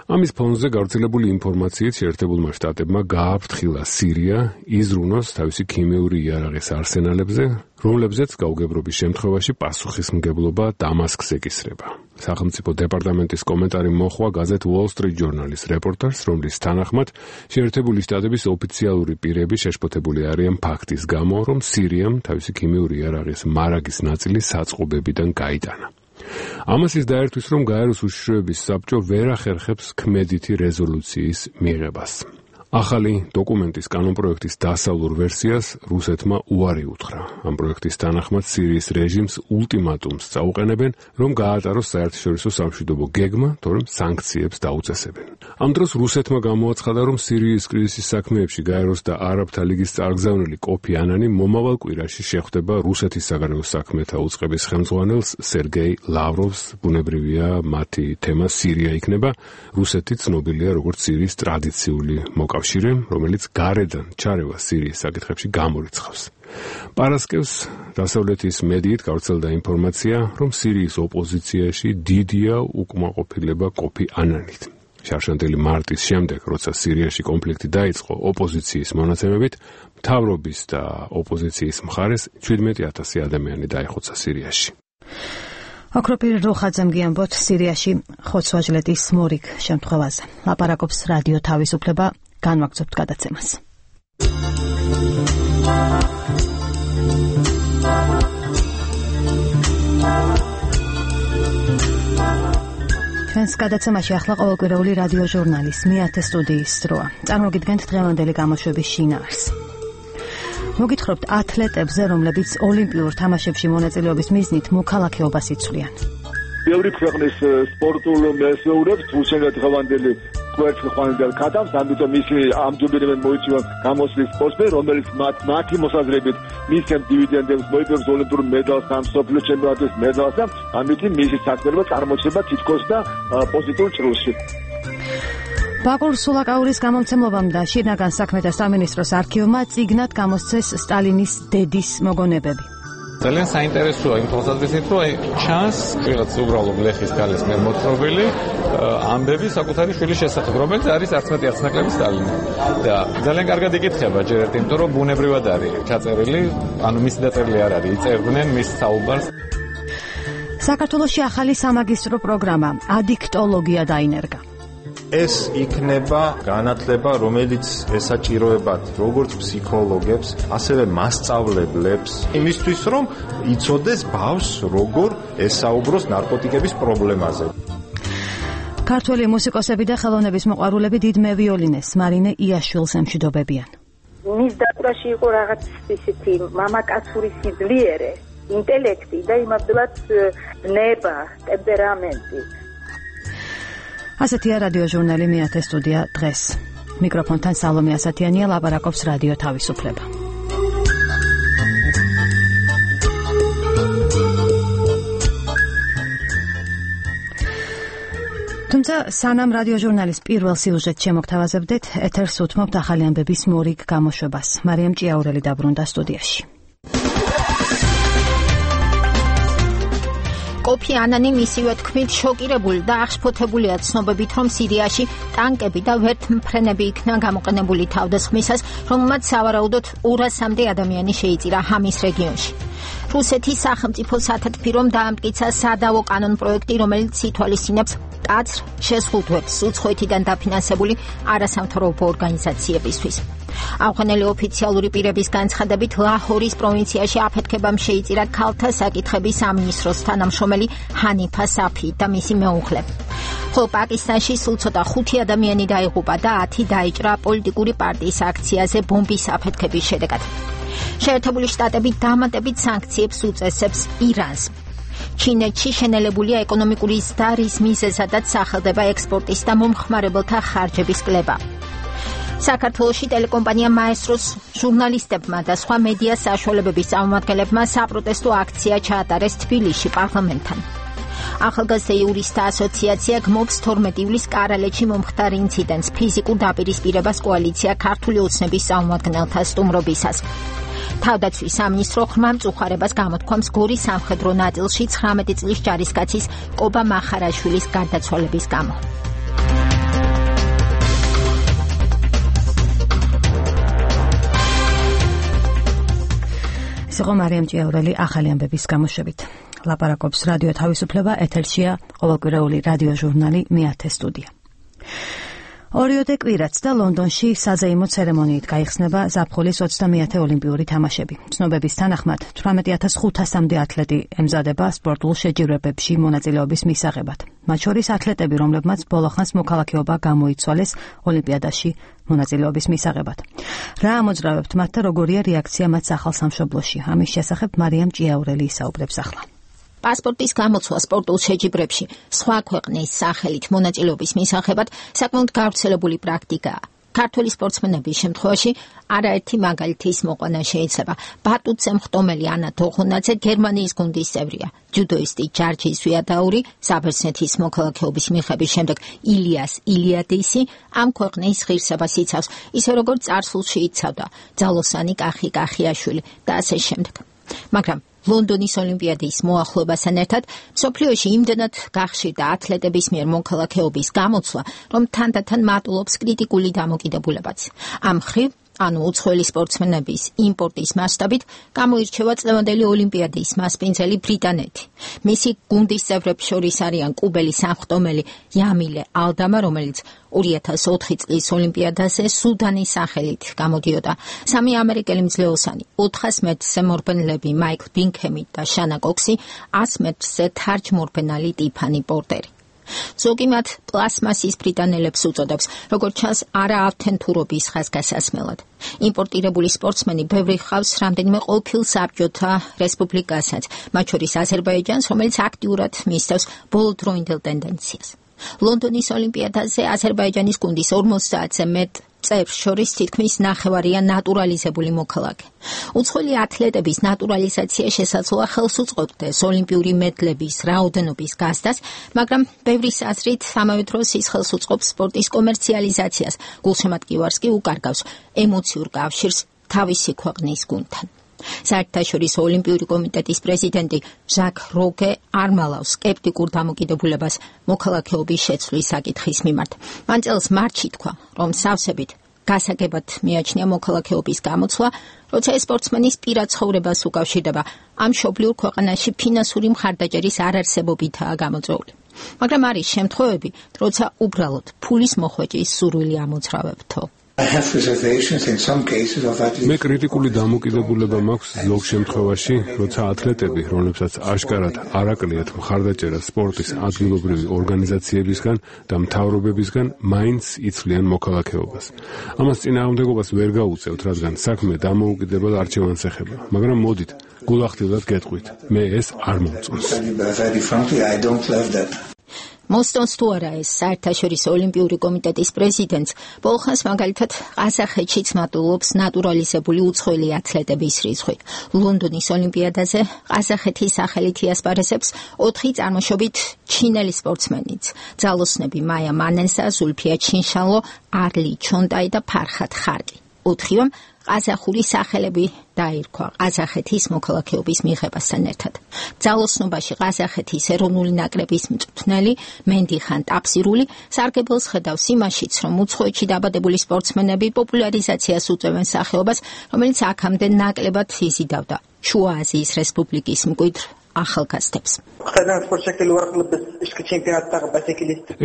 ამის ფონზე გავრცელებული ინფორმაციით შეერთებულმა შტატებმა გააფრთხილა სირია იზრუნოს თავისი ქიმიური იარაღის არსენალებზე, რომლებზეც გაუგებრობის შემთხვევაში პასუხისმგებლობა დამასკს ეკისრება. სახელმწიფო დეპარტამენტის კომენტარი მოჰყვა გაზეთ Wall Street Journal-ის რეპორტაჟს, რომლის თანახმად შეერთებული შტატების ოფიციალური პირები შეშფოთებული არიან ფაქტის გამო, რომ სირიამ თავისი ქიმიური იარაღის მარაგის ნაწილი საწყობებიდან გაიტანა. ამას ის დაერთვის, რომ გაეროს უშიშროების საბჭო ვერ ახერხებს ქმედითი რეზოლუციის მიღებას. ახალი დოკუმენტის კანონპროექტის დასავლურ ვერსიას რუსეთმა უარი უთხრა. ამ პროექტის თანახმად სირიის რეჟიმს ულტიმატუმს წაუყენებენ, რომ გაატაროს საერთაშორისო სამშვიდობო გეგმა, თორემ სანქციებს დაუწესებენ. ამ დროს რუსეთმა გამოაცხადა, რომ სირიის კრიზისის საქმეებში გაეროს და არაბთა ლიგის წარგზავნილი კოფი ანანი მომავალ კვირაში შეხვდება რუსეთის საგარეო საქმეთა უწყების ხელმძღვანელს სერგეი ლავროვს. ბუნებრივია, მათი თემა სირია იქნება. რუსეთი ცნობილია როგორც სირიის ტრადიციული მოკავშირე, რომელიც გარედან ჩარევა სირიის საკითხებში გამორიცხავს. პარასკევს დასავლეთის მედიით გავრცელდა ინფორმაცია, რომ სირიის ოპოზიციაში დიდია უკმაყოფილება კოფი ანანით. შარშანტელი მარტის შემდეგ, როცა სირიაში კონფლიქტი დაიწყო, ოპოზიციის მონაცემებით მთავრობის და ოპოზიციის მხარეს 17,000 ადამიანი დაიხოცა სირიაში. ოქროპირ როხაძემ გიამბოთ სირიაში ხოცვაჟლეთის მორიგ შემთხვევაზე. ლაპარაკობს რადიო თავისუფლება, განვაგრძობთ გადაცემას. ჩვენს გადაცემაში ახლა ყოველკვირეული რადიო ჟურნალის მეათე სტუდიის დროა. წარმოგიდგენთ დღევანდელი გამოშვების შინაარს. მოგითხრობთ ათლეტებზე, რომლებიც ოლიმპიურ თამაშებში მონაწილეობის მიზნით მოქალაქეობას იცვლიან. ბევრი ქვეყნის სპორტულ მეზოურებს უშენდა დღევანდელი კვერცხი ხვანდელ ქათამს, ამიტომ ისინი ამჯობინებენ მოიცავენ გამოსვლის სპორტსმენ, რომელიც მათი მოსაზრებით მისცემ დივიდენდებს, მოიპოვებს ოლიმპიურ მედალს, მსოფლიო ჩემპიონატის მედალს და ამიტომ მისი საქმიანობა წარმოჩება თითქოს და პოზიტიურ ჭრილში. ბაკურ სულაკაურის გამომცემლობამ და შინაგან საქმეთა სამინისტროს არქივმა წიგნად გამოსცეს სტალინის დედის მოგონებები. ძალიან საინტერესოა იმ თვალსაზრისით, რომ ჩანს რაღაც უბრალო გლეხის ქალის მიერ მოთხრობილი ამბები საკუთარი შვილის შესახებ, რომელიც არის არც მეტი არც ნაკლები სტალინი. და ძალიან კარგად იკითხება ჯერ ერთი, იმიტომ რომ ბუნებრივად არის ჩაწერილი, ანუ მისი დაწერილი არ არის, იწერდნენ მის საუბარს. საქართველოში ახალი სამაგისტრო პროგრამა ადიქტოლოგია დაინერგა. ეს იქნება განათლება, რომელიც ესაჭიროებათ როგორც ფსიქოლოგებს, ასევე მასწავლებლებს, იმისთვის, რომ იცოდეს ბავშვს როგორ ესაუბროს ნარკოტიკების პრობლემაზე. ქართველი მუსიკოსები და ხელოვნების მოყვარულები დიდ მევიოლინეს მარინე იაშვილს ემშვიდობებიან. მის დაკვრაში იყო რაღაც ისეთი მამაკაცური სიძლიერე, ინტელექტი და იმავდროულად ნება, ტემპერამენტი. ასეთია რადიო ჟურნალი მეათე სტუდია დღეს. მიკროფონთან სალომე ასათიანია, ლაპარაკობს რადიო თავისუფლება. თუმცა სანამ რადიო ჟურნალის პირველ სიუჟეტს შემოგთავაზებდეთ, ეთერს უთმობთ ახალი ამბების მორიგ გამოშვებას. მარიამ ჭიაურელი დაბრუნდა სტუდიაში. კოფი ანანი მისივე თქმით შოკირებული და აღშფოთებულია ცნობებით, რომ სირიაში ტანკები და ვერთმფრენები იქნა გამოყენებული თავდასხმისას, რომელმაც სავარაუდოდ 200-მდე ადამიანი შეიწირა ჰამის რეგიონში. რუსეთის სახელმწიფო სათათბირომ დაამტკიცა სადავო კანონპროექტი, რომელიც ითვალისწინებს კაცრ შეზღუდვებს უცხოეთიდან დაფინანსებული არასამთავრობო ორგანიზაციებისთვის. ავღანელი ოფიციალური პირების განცხადებით, ლაჰორის პროვინციაში აფეთქებამ შეიწირა ქალთა საკითხების სამინისტროს თანამშრომელი ჰანიფა საფი და მისი მეუღლე. ხოლო პაკისტანში სულ ცოტა 5 ადამიანი დაიღუპა და 10 დაიჭრა პოლიტიკური პარტიის აქციაზე ბომბის აფეთქების შედეგად. შეერთებული შტატები დამატებით სანქციებს უწესებს ირანს. ჩინეთში შენელებულია ეკონომიკური ზდარის მიზეზადაც სახელდება ექსპორტის და მომხმარებელთა ხარჯების კლება. საქართველოში ტელეკომპანია მაესტროს ჟურნალისტებმა და სხვა მედია საშუალებების წარმომადგენლებმა საპროტესტო აქცია ჩაატარეს თბილისში პარლამენტთან. ახალგაზრდა იურისტთა ასოციაცია გმობს 12 ივლისს კარალეთში მომხდარ ინციდენტს ფიზიკურ დაპირისპირებას კოალიცია ქართული ოცნების წარმომადგენელთა სტუმრობისას. თავდაცვის სამინისტრო ხმა მწუხარებას გამოთქვამს გორის სამხედრო ნაწილში 19 წლის ჯარისკაცის კობა მახარაშვილის გარდაცვალების გამო. სიღო მარიამ ჭიაურელი ახალი ამბების გამოშვებით. ლაპარაკობს რადიო თავისუფლება, ეთერშია ყოველკვირეული რადიო ჟურნალი მეათე სტუდია. ორიოდე კვირაც და ლონდონში საზეიმო ცერემონიით გაიხსნება ზაფხულის 30-ე ოლიმპიური თამაშები. ცნობების თანახმად 18500-მდე ათლეტი ემზადება სპორტულ შეჯიბრებებში მონაწილეობის მისაღებად. მათ შორის ათლეტები, რომლებმაც ბოლოხანს მოქალაქეობა გამოიცვალეს ოლიმპიადაში მონაწილეობის მისაღებად. რა ამოძრავებთ მათ და როგორია რეაქცია მათ სახალხო-სამშობლოში? ამის შესახებ მარიამ ჭიაურელი ისაუბრებს ახლა. პასპორტის გამოცვლა სპორტულ შეჯიბრებში სხვა ქვეყნის სახელით მონაწილეობის მისაღებად საკმაოდ გავრცელებული პრაქტიკაა. ქართველი სპორტსმენების შემთხვევაში არაერთი მაგალითის მოყვანა შეიძლება. ბატუცე მხტომელი ანა თოხუნაძე გერმანიის გუნდის წევრია. ჯუდოისტი ჯარჯი ზვიადაური საბერძნეთის მოქალაქეობის მიღების შემდეგ ილიას ილიადისი ამ ქვეყნის ღირსებას იცავს, ისე როგორც წარსულში იცავდა ძალოსანი კახი კახიაშვილი და ასე შემდეგ. მაგრამ ლონდონის ოლიმპიადის მოახლოებასთან ერთად მსოფლიოში იმდენად გახშირდა ათლეტების მიერ მოქალაქეობის გამოცვლა, რომ თანდათან მატულობს კრიტიკული დამოკიდებულებაც. ამ მხრივ, ანუ უცხოელი სპორტსმენების იმპორტის მასშტაბით გამოირჩევა წლევანდელი ოლიმპიადის მასპინძელი ბრიტანეთი. მისი გუნდის წევრებს შორის არიან კუბელი სამხტომელი იამილე ალდამა, რომელიც 2004 წლის ოლიმპიადაზე სუდანის სახელით გამოდიოდა. 3 ამერიკელი მძლეოსანი, 400 მეტრზე მორბენლები მაიკლ ბინქემი და შანა კოქსი, 100 მეტრზე თარჯმორბენალი ტიფანი პორტერი. ზოგი მათ პლასმასის ბრიტანელებს უწოდებს, როგორც ჩანს, არა ავთენტურობის ხაზგასასმელად. იმპორტირებული სპორტსმენი ბევრი ჰყავს რამდენიმე ყოფილ საბჭოთა რესპუბლიკასაც, მათ შორის აზერბაიჯანს, რომელიც აქტიურად მისდევს ბოლოდროინდელ ტენდენციას. ლონდონის ოლიმპიადაზე აზერბაიჯანის გუნდის 50-ზე მეტ წევრს შორის თითქმის ნახევარია ნატურალიზებული მოქალაქე. უცხოელი ათლეტების ნატურალიზაცია შესაძლოა ხელს უწყობდეს ოლიმპიური მედლების რაოდენობის გაზრდას, მაგრამ ბევრის აზრით ამავე დროს ის ხელს უწყობს სპორტის კომერციალიზაციას, გულშემატკივარს კი უკარგავს ემოციურ კავშირს თავისი ქვეყნის გუნდთან. საერთაშორისო ოლიმპიური კომიტეტის პრეზიდენტი ჟაკ როგე არ მალავს სკეპტიკურ დამოკიდებულებას მოქალაქეობის შეცვლის საკითხის მიმართ. მან წელს მარტში თქვა, რომ სავსებით გასაგებად მიაჩნია მოქალაქეობის გამოცვლა, როცა ეს სპორტსმენის პირად ცხოვრებას უკავშირდება ამ მშობლიურ ქვეყანაში ფინანსური მხარდაჭერის არარსებობითაა გამოწვეული. მაგრამ არის შემთხვევები, როცა უბრალოდ ფულის მოხვეჭის სურვილი ამოძრავებთო. მე კრიტიკული დამოკიდებულება მაქვს ზოგ შემთხვევაში, როცა ათლეტები, რომლებსაც აშკარად არ აკლიათ მხარდაჭერა სპორტის ადგილობრივი ორგანიზაციებისგან და მთავრობებისგან, მაინც იცვლიან მოქალაქეობას. ამას წინააღმდეგობას ვერ გაუწევთ, რადგან საქმე დამოუკიდებელ არჩევანს ეხება. მაგრამ მოდით, გულახდილად გეტყვით, მე ეს არ მომწონს. მოსტონს თუ არა ეს საერთაშორისო ოლიმპიური კომიტეტის პრეზიდენტს, ბოლხანს მაგალითად ყაზახეთშიც მატულობს ნატურალიზებული უცხოელი ათლეტების რიცხვი. ლონდონის ოლიმპიადაზე ყაზახეთის სახელით იასპარეზებს 4 წარმოშობით ჩინელი სპორტსმენიც. ძალოსნები მაია მანენსა, ზულფია ჩინშალო, არლი ჩონტაი და ფარხად ხარკი. 4-ვემ ყაზახური სახელები დაირქვა ყაზახეთის მოქალაქეობის მიღებასთან ერთად. ძალოსნობაში ყაზახეთის ეროვნული ნაკრების მწვრთნელი მენდიხან ტაფსირული სარგებელს ხედავს იმაშიც, რომ უცხოეთში დაბადებული სპორტსმენები პოპულარიზაციას უწევენ სახეობას, რომელიც აქამდე ნაკლებად იზიდავდა შუა აზიის რესპუბლიკის მკვიდრ ახალგაზრდებს.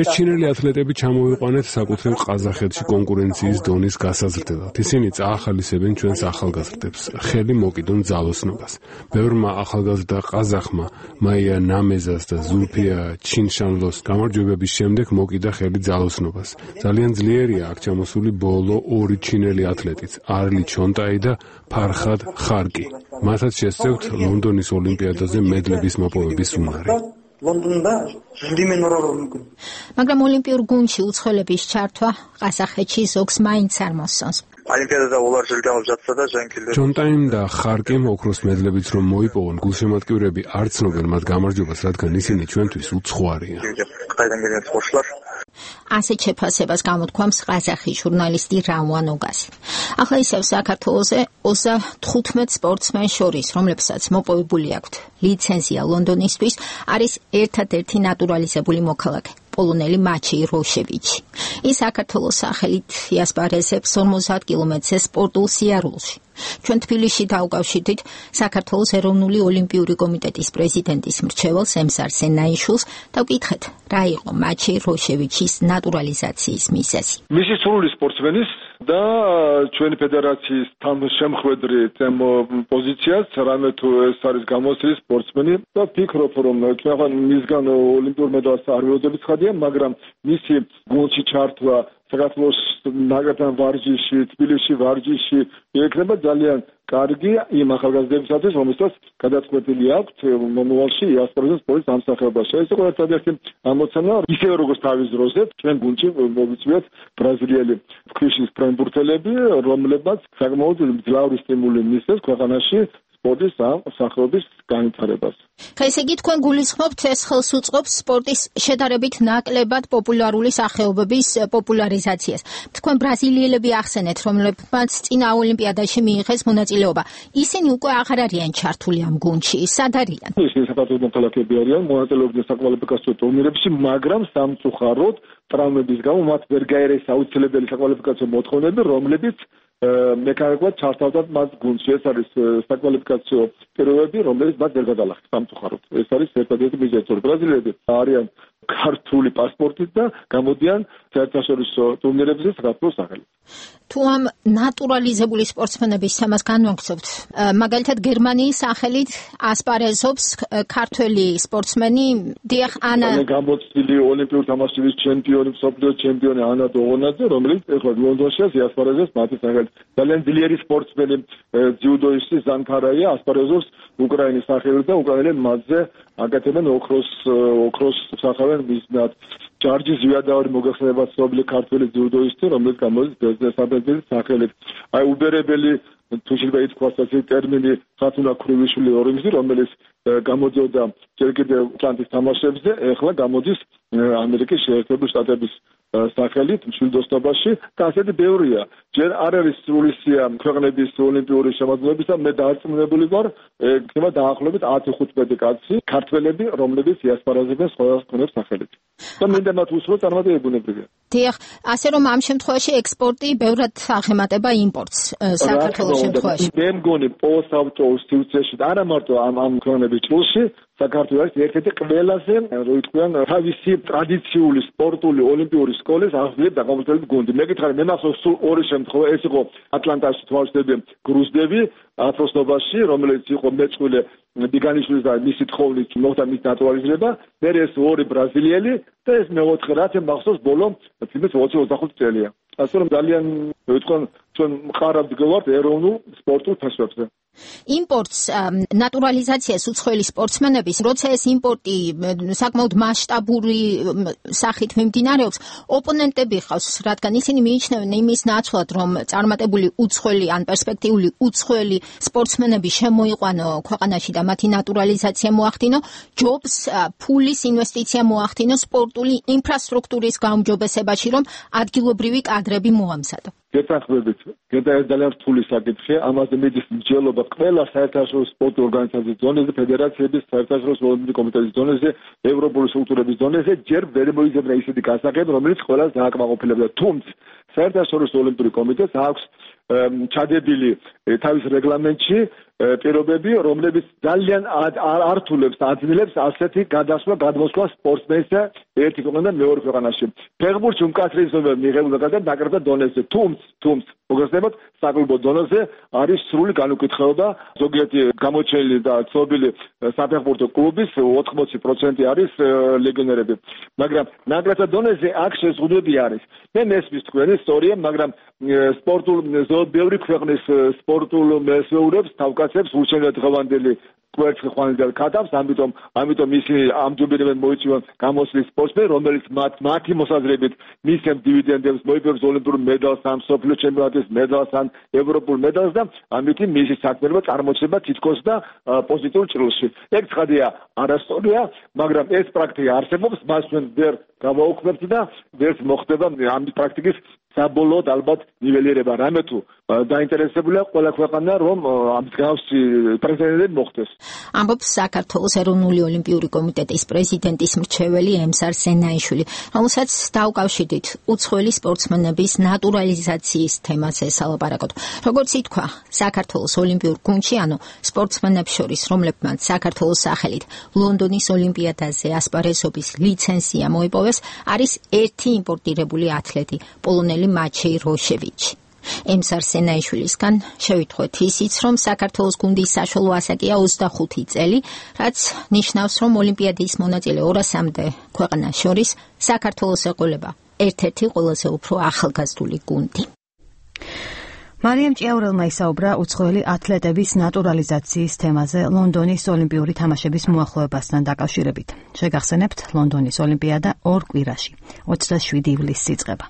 ეს ჩინელი ათლეტები ჩამოვიყვანეთ საკუთრებ ყაზახეთში კონკურენციის დონის გასაზრდელად. ისინი წაახალისებენ ჩვენს ახალგაზრდებს, ხელი მოკიდონ ძალოსნობას. ბევრმა ახალგაზრდა ყაზახმა მაია ნამეზას და ზულფია ჩინშანლოს გამარჯვებების შემდეგ მოკიდა ხელი ძალოსნობას. ძალიან ძლიერია აქ ჩამოსული ბოლო 2 ჩინელი ათლეტიც, არლი ჩონტაი და ფარხად ხარკი. მათაც შესწევთ ლონდონის ოლიმპიადაზე მედლების მოპოვების უნარი. მაგრამ ოლიმპიურ გუნდში უცხოელების ჩართვა ყაზახეთში ზოგს მაინც არ მოსწონს. ჩონტაიმ და ხარკიმ ოქროს მედლებით რომ მოიპოვონ, გულშემატკივრები არ ცნობენ მათ გამარჯვებას, რადგან ისინი ჩვენთვის უცხო არიან. ასეთ შეფასებას გამოთქვამს ყაზახი ჟურნალისტი რამვან ოგასი. ახლა ისევ საქართველოზე 35 სპორტსმენს შორის, რომლებსაც მოპოვებული აქვთ ლიცენზია ლონდონისთვის, არის ერთადერთი ნატურალიზებული მოქალაქე. პოლონელი მაჩეი როშევიჩი. ის საქართველოს სახელით იასპარეზებს 50 კილომეტრზე სპორტულ სიარულში. ჩვენ თბილისში დაუკავშირდით საქართველოს ეროვნული ოლიმპიური კომიტეტის პრეზიდენტის მრჩეველს ემსარ სენაიშვილს და ვკითხეთ, რა იყო მაჩეი როშევიჩის ნატურალიზაციის მიზეზი. მისი სრული სპორტსმენის და ჩვენი ფედერაციის თანამშემხვედრი პოზიციას, რამე თუ ეს არის გამოცდილი სპორტსმენი და ვფიქრობ, რომ ჩვენ მისგან ოლიმპიურ მედალს არ ვეძებთ ხადია, მაგრამ მისი გუნდში ჩართვა საქართველოს ნაკრებთან ვარჯიში, თბილისში ვარჯიში იქნება ძალიან კარგი იმ ახალგაზრდებისათვის, რომელსაც გადაწყვეტილი აქვთ მომავალში იასპარეზოს სპორტის ამსახურებაში. ეს იყო ერთადერთი ამოცანა, ისევე როგორც თავის დროზე ჩვენ გუნდში მოვიწვიეთ ბრაზილიელი ქვიშის ფრენბურთელები, რომლებმაც საკმაოდ მძლავრი სტიმული მისცეს ქვეყანაში სპორტის სახეობის განვითარებას. ესე იგი თქვენ გულისხმობთ, ეს ხელს უწყობს სპორტის შედარებით ნაკლებად პოპულარული სახეობების პოპულარიზაციას. თქვენ ბრაზილიელები ახსენეთ, რომლებმაც წინა ოლიმპიადაში მიიღეს მონაწილეობა. ისინი უკვე აღარ არიან ჩართული ამ გუნდში, სად არიან? ისინი საქართველოს მოქალაქეები არიან, მონაწილეობდნენ საკვალიფიკაციო ტურნირებში, მაგრამ სამწუხაროდ ტრავმების გამო მათ ვერ გაერეს აუცილებელი საკვალიფიკაციო მოთხოვნები, რომლებიც მექანიკურად ჩართავდათ მათ გუნდში. ეს არის საკვალიფიკაციო პირობები, რომელიც მათ ვერ გადალახეს სამწუხაროდ. ეს არის ერთადერთი მიზეზი, რომ ბრაზილიელები არიან ქართული პასპორტით და გამოდიან საერთაშორისო ტურნირებზე საქართველოს სახელით. თუ ამ ნატურალიზებული სპორტსმენების თემას განვაგრძობთ, მაგალითად გერმანიის სახელით ასპარეზობს ქართველი სპორტსმენი დიახ ანა გამოცდილი ოლიმპიური თამაშების ჩემპიონი, მსოფლიოს ჩემპიონი ანა დოღონაძე, რომელიც ეხლა ლონდონში ასპარეზობს მათი სახელით. ძალიან ძლიერი სპორტსმენი ძიუდოისტი ზანქარაია ასპარეზობს უკრაინის სახელით და უკრაინელები მათზე აკეთებენ ოქროს სახავენ მიზნად. ჯარჯი ზვიადაური მოგეხსენება ცნობილი ქართველი ძიუდოისტი, რომელიც გამოდის ბეზნესაბედის სახელით. აი უბერებელი თუ შეიძლება ითქვას ასე ტერმინი ხათუნა ქრივიშვილი ორინგზი, რომელიც გამოდიოდა ჯერ კიდევ ატლანტის თამაშებზე, ეხლა გამოდის ამერიკის შეერთებული შტატების სახელით მშვიდოსნობაში და ასეთი ბევრია. ჯერ არ არის სრული სია ქვეყნების ოლიმპიური შემადგენლობისა, მე დარწმუნებული ვარ, იქნება დაახლოებით 10-15 კაცი ქართველები, რომლებიც იასპარეზებენ სხვადასხვა ქვეყნების სახელით. და მინდა მათ უსურვო წარმატებებია. დიახ, ასე რომ ამ შემთხვევაში ექსპორტი ბევრად აღემატება იმპორტს საქართველოს შემთხვევაში. მე მგონი პოსტავტოუს სიუცეში და არა მარტო ამ ქვეყნების ჭრილში საქართველოს არის ერთ-ერთი ყველაზე, რო ითქვიან, თავისი ტრადიციული სპორტული ოლიმპიური სკოლის აღზრდილი დაკავებული გუნდი. მე გითხარი, მე მახსოვს სულ ორი შემთხვევა, ეს იყო ატლანტაში თვალშდები გრუზდები ათროსნობაში, რომელიც იყო მეწყვილე ბიგანიშვილის და მისი თხოვნით მოხდა მის ნატურალიზება, მე ეს ორი ბრაზილიელი და ეს მეოთხე რაც მახსოვს ბოლო 20-25 წელია. ასე რომ ძალიან ვიტყვი ჩვენ მყარავთ გევართ ეროვნულ სპორტულ თასვებზე. იმპორტს ნატურალიზაციას უცხოელი სპორტსმენების, როცა ეს იმპორტი საკმაოდ მასშტაბური სახით მიმდინარეობს, ოპონენტები ხავს, რადგან ისინი მიიჩნევენ იმის ნაცვლად, რომ წარმატებული უცხოელი ან პერსპექტიული უცხოელი სპორტსმენები შემოიყვანო ქვეყანაში და მათი ნატურალიზაცია მოახდინო, ჯობს, ფულის ინვესტიცია მოახდინო სპორტული ინფრასტრუქტურის გაუმჯობესებაში, რომ ადგილობრივი კადრები მოამზადო. გეთანხმებით, ეს ძალიან რთული საკითხია, ამაზე მიდის მსჯელობა ყველა საერთაშორისო სპორტულ ორგანიზაციის დონეზე, ფედერაციების, საერთაშორისო ოლიმპიური კომიტეტის დონეზე, ევროპული სტრუქტურების დონეზე, ჯერ ვერ მოიძებნა ისეთი გასაღები, რომელიც ყველას დააკმაყოფილებდა. თუმცა საერთაშორისო ოლიმპიური კომიტეტს აქვს ჩადებილი თავის რეგლამენტში პირობები, რომლებიც ძალიან ართულებს, აძლევს ასეთი გადმოსვლა სპორტსმენისა ერთი ქვეყნიდან მეორე ქვეყანაში. ფეხბურთში უმკაცრესობა მიღებულ გადაგდა ნაკრებთა დონეზე, თუმცა მოგეხსენებათ, საკლუბო დონეზე არის სრული განუკითხაობა. ზოგიერთი გამოჩენილი და ცნობილი საფეხბურთო კლუბის 80% არის ლეგიონერები. მაგრამ ნაკრებთა დონეზე აქ შეზღუდვები არის. მე მესმის თქვენი ისტორია, მაგრამ სპორტულ ბევრი ქვეყნის სპორტულ მესეურებს თავკაცებს ურჩევნად დღევანდელი კვერცხი ხვანილ ქათამს, ამიტომ ისინი ამჯობინებენ მოიწვიონ გამოსვლის სპორტსმენი, რომელიც მათი მოსაზრებით მისცემ დივიდენდებს, მოიპოვებს ოლიმპიურ მედალს, ან მსოფლიო ჩემპიონატის მედალს, ან ევროპულ მედალს და ამით მისი საქმიანობა წარმოჩნდება თითქოს და პოზიტიურ ჭრილში. ეგ ცხადია, არასწორია, მაგრამ ეს პრაქტიკა არსებობს, მას ჩვენ ვერ გავაუქმებთ და ვერც მოხდება ამ პრაქტიკის საბოლოოდ ალბათ ნიველირება. რამე თუ დაინტერესებულია ყველა ქვეყანა რომ ამ მსგავსი პრეცედენტი მოხდეს. ამბობს საქართველოს ეროვნული ოლიმპიური კომიტეტის პრეზიდენტის მრჩეველი ემსარ სენაიშვილი, რომელსაც დაუკავშირდით უცხოელი სპორტსმენების ნატურალიზაციის თემაზე სალაპარაკოთ. როგორც ითქვა, საქართველოს ოლიმპიურ გუნდში, ანუ სპორტსმენებს შორის, რომლებმაც საქართველოს სახელით ლონდონის ოლიმპიადაზე ასპარეზობის ლიცენზია მოიპოვეს, არის ერთი იმპორტირებული ათლეტი, პოლონელი მაჩეი როშევიჩი. ემსარ სენაიშვილისგან შევიტყვეთ ისიც, რომ საქართველოს გუნდის საშუალო ასაკია 25 წელი, რაც ნიშნავს, რომ ოლიმპიადის მონაწილე 200-მდე ქვეყანას შორის საქართველოს ეყოლება ერთ-ერთი ყველაზე უფრო ახალგაზრდული გუნდი. მარიამ ჭიაურელმა ისაუბრა უცხოელი ათლეტების ნატურალიზაციის თემაზე ლონდონის ოლიმპიური თამაშების მოახლოებასთან დაკავშირებით. შეგახსენებთ, ლონდონის ოლიმპიადა 2 კვირაში, 27 ივლისს იწყება.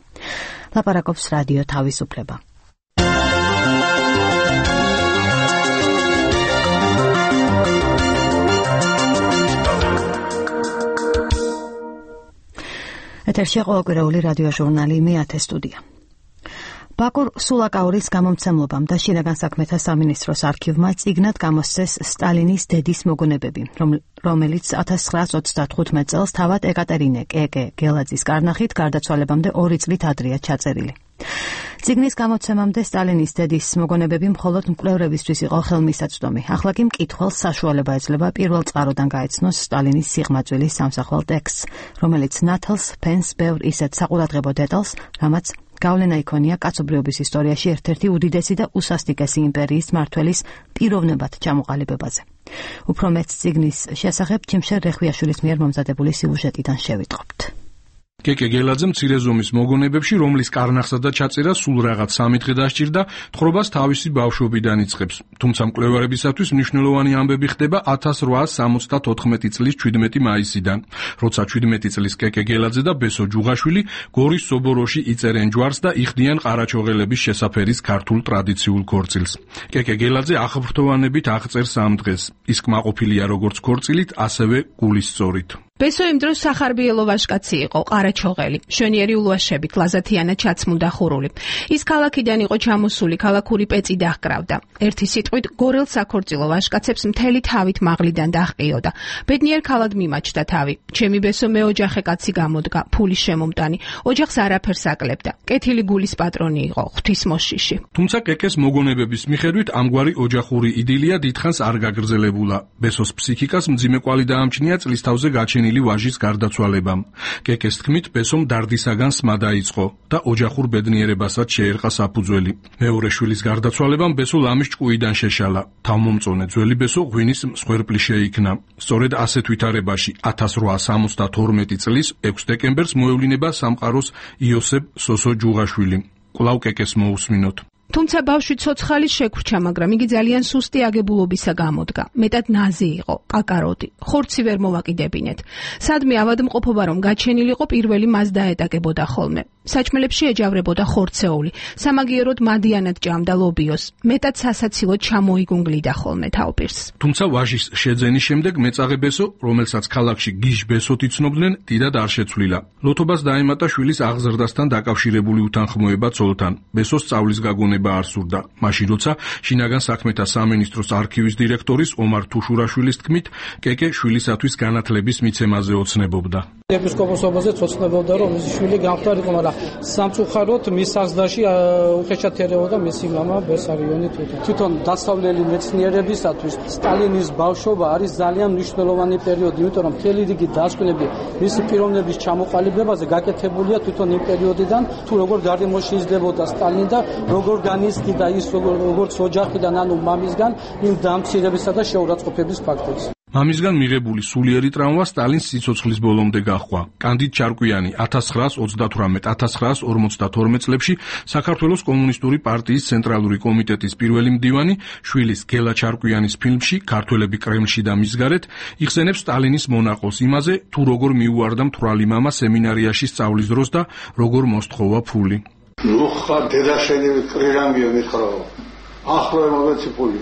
ლაპარაკობს რადიო თავისუფლება. ეთერში ყოველკვირეული რადიო ჟურნალი მე-10 სტუდია. ბაკურ სულაკაურის გამომცემლობამ და შინაგან საქმეთა სამინისტროს არქივმა წიგნად გამოსცეს სტალინის დედის მოგონებები, რომელიც 1935 წელს თავად ეკატერინე კეკე გელაძის კარნახით გარდაცვალებამდე 2 წლით ადრეა ჩაწერილი. წიგნის გამოცემამდე სტალინის დედის მოგონებები მხოლოდ მკვლევრებისთვის იყო ხელმისაწვდომი. ახლა კი მკითხველს საშუალება ეძლევა პირველ წყაროდან გაეცნოს სტალინის სიღმაწვილის სამსახვალ ტექსტს, რომელიც ნათელს ფენს ბევრ ისეთ საყურადღებო დეტალს, რამაც გავლენა იქონია კაცობრიობის ისტორიაში ერთ-ერთი უდიდესი და უსასტიკესი იმპერიის მმართველის პიროვნებად ჩამოყალიბებაზე. უფრო მეტ წიგნის შესახებ ჩიმშერ რეხვიაშვილის მიერ მომზადებული სიუჟეტიდან შევიტყობთ. კეკე გელაძე მცირე ზომის მოგონებებში, რომლის კარნახსა და ჩაწერა სულ რაღაც 3 დღე დასჭირდა, თხრობას თავისი ბავშვობიდან იწყებს. თუმცა მკვლევარებისათვის მნიშვნელოვანი ამბები ხდება 1874 წლის 17 მაისიდან, როცა 17 წლის კეკე გელაძე და ბესო ჯუღაშვილი გორის სობოროში იწერენ ჯვარს და იხდიან ყარაჩოღელების შესაფერის ქართულ ტრადიციულ ქორწილს. კეკე გელაძე აღფრთოვანებით აღწერს ამ დღეს. ის კმაყოფილია როგორც ქორწილით, ასევე გულისწორით. ბესო იმ დროს სახარბიელო ვაჟკაცი იყო, ყარაჩოღელი, შვენიერი ულვაშებით, ლაზათიანად ჩაცმულდა ხურული. ის ქალაქიდან იყო ჩამოსული, ქალაქური პეწი დაჰკრავდა. ერთი სიტყვით, გორელ საქორწილო ვაჟკაცებს მთელი თავით მაღლიდან დაჰყიოდა. ბედნიერ ქალად მიმაჩნდა თავი. ჩემი ბესო მეოჯახე კაცი გამოდგა, ფულის შემომტანი, ოჯახს არაფერს აკლებდა. კეთილი გულის პატრონი იყო, ღვთისმოშიში. თუმცა კეკეს მოგონებების მიხედვით ამგვარი ოჯახური იდილია დიდხანს არ გაგრძელებულა. ბესოს ფსიქიკას მძიმე კვალი დაამჩნია წლის თავზე გაჩენილი ვაჟის გარდაცვალებამ. კეკეს თქმით, ბესომ დარდისაგან სმა დაიწყო და ოჯახურ ბედნიერებასაც შეერყა საფუძველი. მეორე შვილის გარდაცვალებამ ბესო ლამის ჭკუიდან შეშალა. თავმომწონე ძველი ბესო ღვინის მსხვერპლი შეიქნა. სწორედ ასეთ ვითარებაში 1872 წლის 6 დეკემბერს მოევლინება სამყაროს იოსებ სოსო ჯუღაშვილი. კვლავ კეკეს მოусმინოთ. თუმცა ბავშვი ცოცხალი შეგვრჩა, მაგრამ იგი ძალიან სუსტი აგებულობისა გამოდგა. მეტად ნაზი იყო, კაკაროდი. ხორცი ვერ მოვაკიდებინეთ. სადმე ავადმყოფობა რომ გაჩენილიყო, პირველი მას დაეტაკებოდა ხოლმე. საჭმელებში ეჯავრებოდა ხორცეული. სამაგიეროდ მადიანად ჭამდა ლობიოს. მეტად სასაცილოდ ჩამოიგუნგლიდა ხოლმე თავპირს. თუმცა ვაჟის შეძენის შემდეგ მეწაღე ბესო, რომელსაც ქალაქში გიჟ ბესოთ იცნობდნენ, დიდად არ შეცვლილა. ლოთობას დაემატა შვილის აღზრდასთან დაკავშირებული უთანხმოება ცოლთან. ბესოს სწავლის გაგონება არ სურდა. მაშინ როცა შინაგან საქმეთა სამინისტროს არქივის დირექტორის ომარ თუშურაშვილის თქმით, კეკე შვილისათვის განათლების მიცემაზე ოცნებობდა. ეპისკოპოსობაზე ცოცნებობდა, რომ მისი შვილი გამხდარიყო, მაგრამ სამწუხაროდ მის აღზრდაში უხეშად ერეოდა მისი მამა ბესარიონი თვითონ. თვითონ დასავლელი მეცნიერებისათვის სტალინის ბავშვობა არის ძალიან მნიშვნელოვანი პერიოდი, იმიტომ რომ მთელი რიგი დასკვნები მისი პიროვნების ჩამოყალიბებაზე გაკეთებულია თვითონ იმ პერიოდიდან, თუ როგორ გარემოშეიზრდებოდა სტალინი და როგორ განიცდიდა ის როგორც ოჯახიდან, ანუ მამისგან იმ დამცირებისა და შეურაცხყოფების ფაქტებს. მამისგან მიღებული სულიერი ტრავმა სტალინს სიცოცხლის ბოლომდე გაჰყვა. კანდიდ ჩარკვიანი 1938-1952 წლებში საქართველოს კომუნისტური პარტიის ცენტრალური კომიტეტის პირველი მდივანი, შვილის გელა ჩარკვიანის ფილმში ქართველები კრემლში და მის გარეთ იხსენებს სტალინის მონაყოლს იმაზე, თუ როგორ მიუვარდა მთვრალი მამა სემინარიაში სწავლის დროს და როგორ მოსთხოვა ფული. ნუ ხარ დედაშენი კრირანგია მითხრაო. ახლა მოგეცი ფული.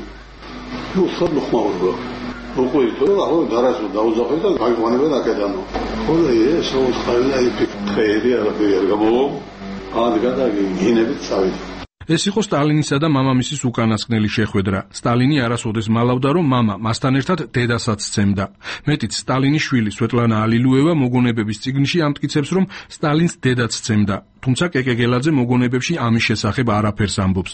ნუ ხარ მოხმაურდა. უკვე ითო ახლა დარასო დაუძახე და გაიყვანება დაკედანო. ხოლმე ეს ოცხაილა იფიქრე არაფერი არ გამო. გადაგინებით წავიდა. ეს იყო სტალინისა და მამამისის უკანასკნელი შეხვედრა. სტალინი არასოდეს მალავდა, რომ მამა მასთან ერთად დედასაც სცემდა. მეტიც სტალინის შვილი სვეტლანა ალილუევა მოგონებების წიგნში ამტკიცებს, რომ სტალინს დედაც სცემდა. თუმცა კეკეგელაძე მოგონებებში ამის შესახებ არაფერს ამბობს.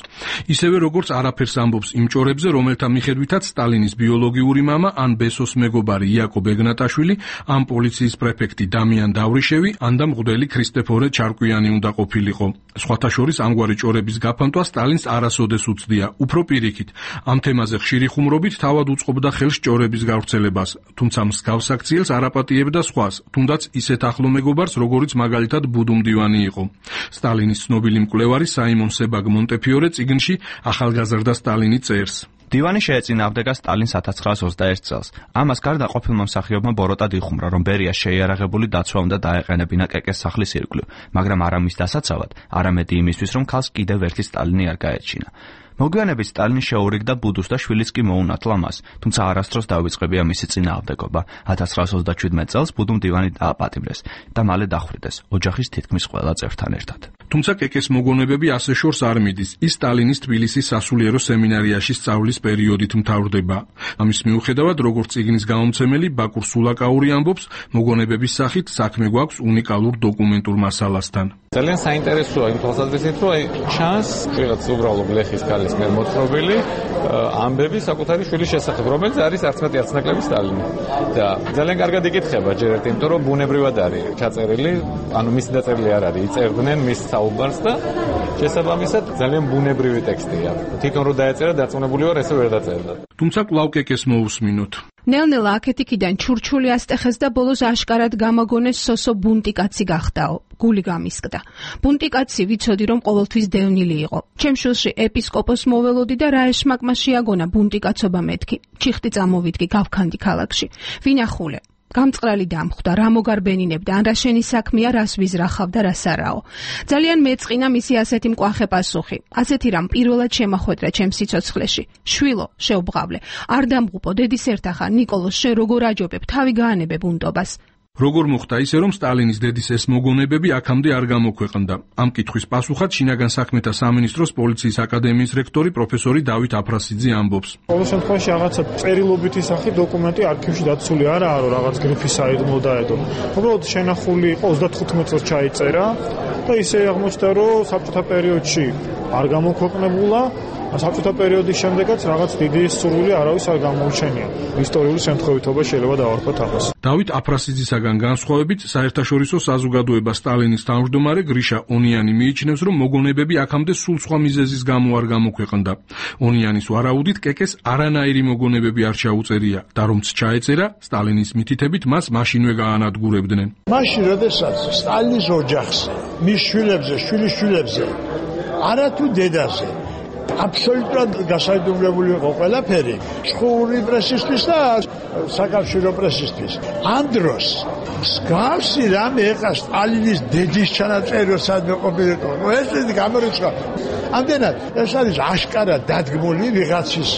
ისევე როგორც არაფერს ამბობს იმ ჭორებზე, რომელთა მიხედვითაც სტალინის ბიოლოგიური მამა ან ბესოს მეგობარი იაკობ ეგნატაშვილი, ან პოლიციის პრეფექტი დამიან დავრიშევი, ან და მღვდელი ქრისტეფორე ჩარკვიანი უნდა ყოფილიყო. სხვათა შორის ამგვარი ჭორების გაფანტვა სტალინს არასოდეს უცდია, უფრო პირიქით. ამ თემაზე ხშირი ხუმრობით თავად უწყობდა ხელს ჭორების გავრცელებას, თუმცა მსგავს აქციელს არაპატიებდა სხვას, თუნდაც ისეთ ახლო მეგობარს, როგორიც მაგალითად ბუდუ მდივანი იყო. სტალინის ცნობილი მკვლევარი საიმონ себაგ მონტეფიორე წიგნში ახალგაზრდა სტალინი წერს. დივანი შეეწინააღმდეგა სტალინს 1921 წელს. ამას გარდა ყოფილმა მსახიობმა ბოროტად იხუმრა, რომ ბერიას შეიარაღებული დაცვა უნდა დაეყენებინა კეკეს სახლის ირგვლივ, მაგრამ არა მის დასაცავად, არამედ იმისთვის, რომ ქალს კიდევ ერთი სტალინი არ გაეჩინა. მოგვიანებით სტალინი შეურიგდა ბუდუს და შვილიც კი მოუნათლა მას, თუმცა არასდროს დავიწყებია მისი წინააღმდეგობა. 1927 წელს ბუდუმ დივანი დააპატიმრეს და მალე დახვრიტეს ოჯახის თითქმის ყველა წევრთან ერთად. თუმცა კეკეს მოგონებები ასე შორს არ მიდის. ის სტალინის თბილისის სასულიერო სემინარიაში სწავლის პერიოდით მთავრდება. ამის მიუხედავად, როგორც წიგნის გამომცემელი ბაკურ სულაკაური ამბობს, მოგონებების სახით საქმე გვაქვს უნიკალურ დოკუმენტურ მასალასთან. ძალიან საინტერესოა იმ თვალსაზრისით, რომ ჩანს რაღაც უბრალო გლეხის ქალის მიერ მოთხრობილი ამბები საკუთარი შვილის შესახებ, რომელიც არის 11 ნაკლები სტალინი. და ძალიან კარგად იკითხება ჯერ ერთი, იმიტომ რომ ბუნებრივად არის ჩაწერილი, ანუ მისი დაწერილი არ არის, იწერდნენ მის საუბარს და შესაბამისად ძალიან ბუნებრივი ტექსტია. თვითონ რო დაეწერა, დაწუნებული ვარ, ესე ვერ დაწერდა. თუმცა კვლავ კეკეს მოусმინოთ. ნელ-ნელა აქეთ-იქიდან ჩურჩული ასტეხეს და ბოლოს აშკარად გამაგონეს სოსო ბუნტიკაცი გახდაო. გული გამისკდა. ბუნტიკაცი ვიცოდი, რომ ყოველთვის დევნილი იყო. ჩემ შვილში ეპისკოპოს მოველოდი და რა ეშმაკმა შეაგონა ბუნტიკაცობა მეთქი. ჩიხტი წამოვიდგი გავქანდი ქალაქში. ვინახულე. გამწყრალი დამხვდა, რა მოგარბენინებდა, ან რა შენი საქმეა, რას ვიზრახავ და რას არაო. ძალიან მეწყინა მისი ასეთი მკვახე პასუხი. ასეთი რამ პირველად შემახვედრა ჩემს სიცოცხლეში. შვილო, შეუბღავლე. არ დამღუპო, დედის ერთახან, ნიკოლოს, შენ როგორ აჯობებ, თავი გაანებე ბუნტობას. როგორ მოხდა ისე, რომ სტალინის დედის ეს მოგონებები აქამდე არ გამოქვეყნდა? ამ კითხვის პასუხად შინაგან საქმეთა სამინისტროს პოლიციის აკადემიის რექტორი პროფესორი დავით აფრასიძე ამბობს. ყოველ შემთხვევაში რაღაცა წერილობითი სახით დოკუმენტი არქივში დაცული არაა, რომ რაღაც გრიფი საიდუმლო დაედო. უბრალოდ შენახული იყო 35 წელს ჩაიწერა და ისე აღმოჩნდა, რომ საბჭოთა პერიოდში არ გამოქვეყნებულა. საბჭოთა პერიოდის შემდეგაც რაღაც დიდი სურვილი არავის არ გამოუჩენია. ისტორიული შემთხვევითობა შეიძლება დავარქვათ ამას. დავით აფრასიძისაგან განსხვავებით, საერთაშორისო საზოგადოება სტალინის თავმჯდომარე გრიშა ონიანი მიიჩნევს, რომ მოგონებები აქამდე სულ სხვა მიზეზის გამო არ გამოქვეყნდა. ონიანის ვარაუდით, კეკეს არანაირი მოგონებები არ ჩაუწერია და რომც ჩაეწერა, სტალინის მითითებით მას მაშინვე გაანადგურებდნენ. მაშინ, როდესაც სტალინის ოჯახზე, მის შვილებზე, შვილიშვილებზე, არათუ დედაზე აბსოლუტურად გასაიდუმლებული იყო ყველაფერი, შხური პრესისთვის და საკავშირო პრესისთვის. ამ დროს მსგავსი რამე ეხა სტალინის დედის ჩანაწერი სადმე ყოფილიყო. ეს გამორიცხა. ამდენად ეს არის აშკარად დადგმული ვიღაცის